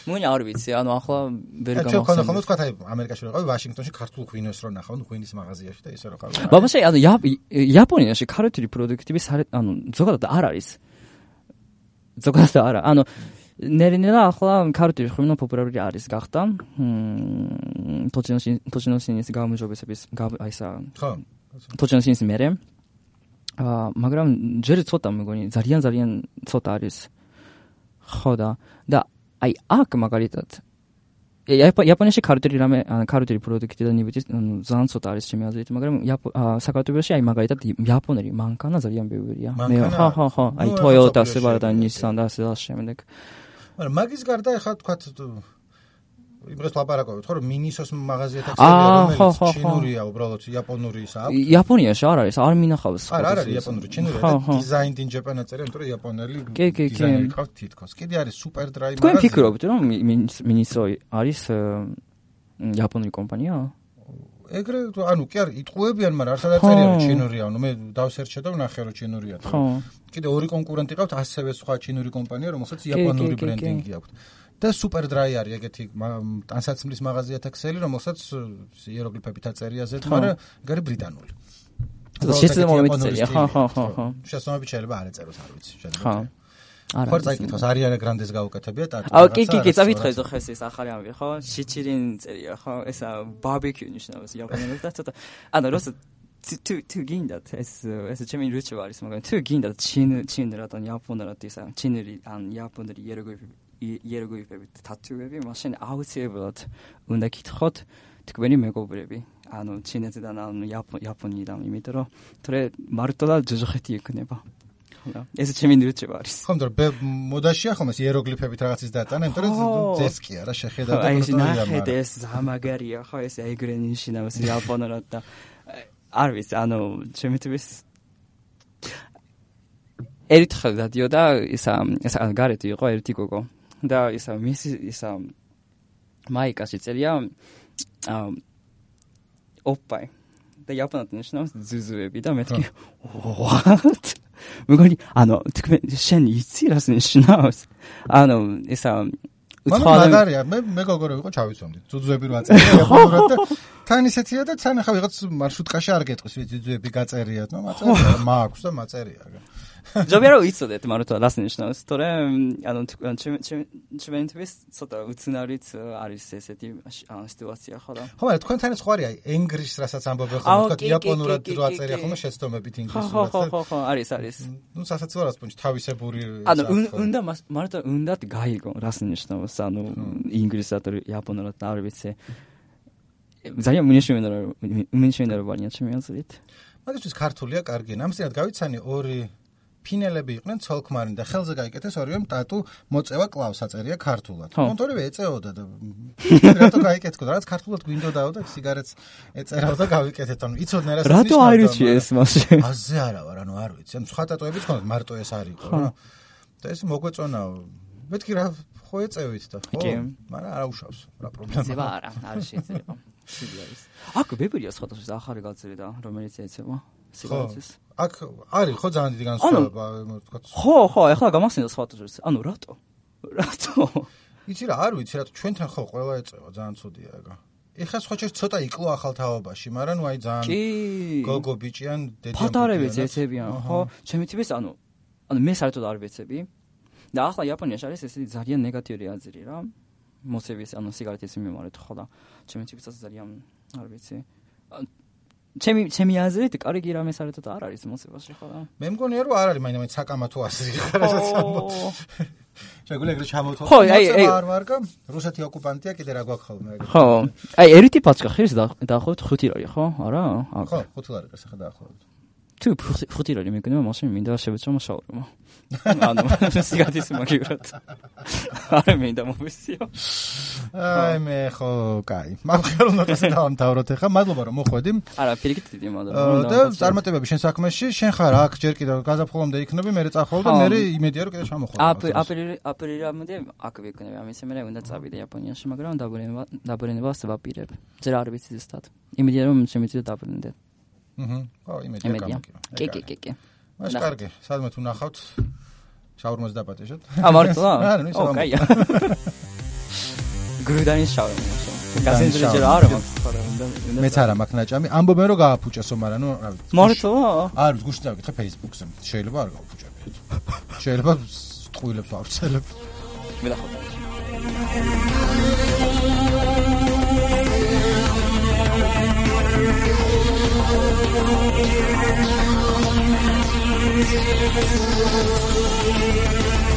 მგონი არ ვიცი, ანუ ახლა ვერ გამახსენე. ჩვენ ხომ თქვა აი ამერიკაში ვიყავი, ვაშინგტონში ქართულ ღვინოს რო ნახავ, ღვინის მაღაზიაში და ისე რო ხარ. ბაბაშე, ანუ იაპონიაში ქართული პროდუქტები ანუ ზოგადად არ არის. ზოგადად არა, ანუ ნერინელა ახლა ქართული ღვინო პოპულარული არის გახდა. თოჩინოსინის გამარჯვებების აი ესა. ხო. თოჩინოსინის მერე. აა მაგრამ ჯერ ცოტა მეგონი ძალიან ძალიან ცოტა არის. ხო და და აი აქ მაგალითად იაპონიაში ქართული რამე ქართული პროდუქტი და ნიბიჯი ძალიან ცოტა არის ჩემი აზრით, მაგრამ საქართველოში აი მაგალითად იაპონური მანქანა ძალიან ბევრია. მე ხო ხო ხო აი Toyota, Subaru და Nissan და ასე შემდეგ. მაგრამ მაგის გარდა ახლა თქვა იმას ლაპარაკობთ, ხო, რომ მინისოს მაღაზია ტაქსები, რომელიც ჩინურია, უბრალოდ იაპონური ისა აქვს. იაპონიაში არ არის, არ მინახავს. არ არის იაპონური, ჩინურია და designed in Japan აწერია, იმიტომ რომ იაპონელი დიზაინერი ყავს თითქოს. კიდე არის super dry მაღაზია. თქვენ ფიქრობთ, რომ მინისო არის იაპონური კომპანია? ეგრე, ანუ კი არის, იტყუებიან, მაგრამ არ სადაწერია რომ ჩინურია, ანუ მე დავსერჩე და ვნახე რომ ჩინურია. კიდე ორი კონკურენტი ყავთ, ასევე სხვა ჩინური კომპანია, რომელსაც იაპონური ბრენდინგი აქვს. და super dry არის ეგეთი ტანსაცმლის მაღაზიათა ქსელი, რომელსაც იეროგლიფებით აწერია ზედ, მაგრამ ეგ არის ბრიტანული. შესაძლოა წერია, ხო, ხო, ხო, ხო. შესაძლოა შეიძლება არ ეწეროს, არ ვიცი, შეიძლება. ხო. არა. ხო, წაიკითხოს, არიანა გრანდეს გაუკეთებია ტატუ. აუ, კი, კი, კი, წავითხრეს ხო ეს ახალი ამბი, ხო? შიჩირინ წერია, ხო? ესა ბარბეკიუ ნიშნავს იაპონელებს და ცოტა. ანუ როცა თუ თუ გინდათ ეს ეს ჩემი რიჩევ არის, მაგრამ თუ გინდათ ჩინ ჩინერად ან იაპონერად ისა ჩინერი ან იაპონელი იეროგლიფები იეროგლიფებით თათუები, მაშინ აუცილებლად უნდა გითხოთ თქვენი მეგობრები, ანუ ჩინეთიდან ან იაპონიიდან, იმიტომ რომ თორე მარტო ჯოჯოხეთი იქნება. ხო, ეს ჩემი რიჩევა არის. ხო, მაგრამ მოდაშია ხომ ეს იეროგლიფებით რაღაცის დატანა, იმიტომ რომ ძესკია რა შეხედა და პროტოია. ეს ზამაგარია, ხო, ეს ეგრე ნიშნავს იაპონერად და არ ვიცი, ანუ ჩემი თვითონ ერთხელ დადიოდა ისა ისა გარეთი იყო ერთი გოგო. და ისა მისი ისა მაიკაში წერია ოპაი და იაპონად ნიშნავს ზუზუები და მეთქი what მეგონი ანუ თქვენ შენ იცი რას ნიშნავს ანუ ისა მაგარია მე მეგობრები ვიყო ჩავიცვამდი ზუზუები რო აწერია იაპონურად და თან ისეთია და თან ახლა ვიღაც მარშრუტკაში არ გეტყვის ზუზუები გაწერიათ ნუ მაწერია მაქვს და მაწერია ჯობია რომ იცოდეთ მარტო რას ნიშნავს თორე ანუ ჩვენთვის ცოტა უცნაურიც არის ესეთი სიტუაცია ხო და ხო მაგრამ თქვენთანაც ხო არის აი ენგლისს რასაც ამბობენ ხოლმე თქვა იაპონურად რო აწერია ხოლმე შეცდომებით ინგლისურად ხო ხო ხო არის არის ნუ სასაცილო რას პუნჩ თავისებური ანუ უნდა მარტო უნდათ გაიგო რას ნიშნავს ანუ ინგლისად იაპონურად არ ვიცი ძალიან მინიშმინდა მინიშმინდა რო ვარიანტი ჩემი აზრით მაგისთვის ქართულია კარგი ამისად გავიცანი ორი ფინელები იყვნენ ცოლქმარი და ხელზე გაიკეთეს ორივემ ტატუ მოწევა კლავს აწერია ქართულად. კონტორები ეწეოდა და რატო გაიკეთქო რაც ქართულად გვინდოდაო და სიგარეტს ეწერაო და გავიკეთეთ ანუ იცოდნენ რა საქმეა. რატო აირჩიე ეს მასში? აზე არა ვარ ანუ არ ვიცი. ანუ სხვა ტატუებიც ხონდა მარტო ეს არ იყო რა. და ეს მოგვეწონაო. მეთქი რა ხო ეწევით და ხო? მაგრამ არა უშავს რა პრობლემაა. ზება არა, არ შეიძლება. სიგარეტს. აქ ვებერია სხვადასხვა ახალი გაზრი და რომელიც ეცემა სიგარეტს. აქ არის ხო ძალიან დიდი განსხვავება თქვა. ხო, ხო, ეხლა გამახსენდა სხვადასხვა. ანუ რატო? რატო? იცი რა, არ ვიცი რატო ჩვენთან ხო ყველა ეწევა ძალიან ცუდია ეგა. ეხლა სხვა შეიძლება ცოტა იკლო ახალ თაობაში, მაგრამ ნუ აი ძალიან გოგო ბიჭიან დედიან. ფატარებიც ეცებიან, ხო? ჩემი ტიპის ანუ ანუ მე საერთოდ არ ვეცები. და ახლა იაპონიაში არის ესეთი ძალიან ნეგატიური აზრი რა. მოსევის ანუ სიგარეტის მიმართ ხო და ჩემი ტიპისაც ძალიან არ ვიცი. ჩემი ჩემი აზრით კარგი რამე საერთოდ არ არის მოსევაში ხო და მე მგონია რომ არ არის მაინც საკამათო აზრი ხარ რასაც ამბობ. შეგვიძლია ეგრე ჩამოვთო. ხო, აი აი არ ვარგა რუსეთი ოკუპანტია კიდე რა გვაქვს ხოლმე ეგრე. ხო. აი ერთი პაჩკა ხერს დაახლოებით ხუთი ლარი ხო? არა? ხო, ხუთი ლარი გასახა დაახლოებით. თუ ხუთი ლარი მეკნება მაშინ მინდა შევეცო შაურმა. ანუ სიგარეტის მაგივრად. არა მინდა მოვისიო. აი მე ხო, კაი. მაგხელუნებას დავამთავროთ ახლა. მადლობა რომ მოხვედი. არა, პირიქით დიდი მადლობა. და წარმატებები შენ საქმეში, შენ ხარ აქ ჯერ კიდევ გაზაფხულამდე იქნები, მე წახვალ და მე იმედია რომ კიდე ჩამოხვიდე. აპრილი აპრილამდე აქ ვიქნები, ამის მე უნდა წავიდე იაპონიაში, მაგრამ დაბრუნება დაბრუნებას ვაპირებ. ძერ არ ვიცი ზუსტად. იმედია რომ შემიძლია დაბრუნდე. აჰა. ხო, იმედია გამიგია. კი, კი, კი, კი. მას კარგი, სადმე თუ ნახავთ შაურმას დაპატეჟოთ. ა მარტო? არა, ნუ ო, კაია. გრუდანის შაურმა. გასინძრე რა არა მაქვს ხარ უნდა. მეც არა მაქვს ნაჭამი. ამბობენ რომ გააფუჭესო, მაგრამ ნუ რა ვიცი. მარტო? არ ვიცი, გუშინ დავიკითხე Facebook-ზე. შეიძლება არ გააფუჭებიეთ. შეიძლება ტყუილებს ავცელებ. მე დახოთა. We'll be right back.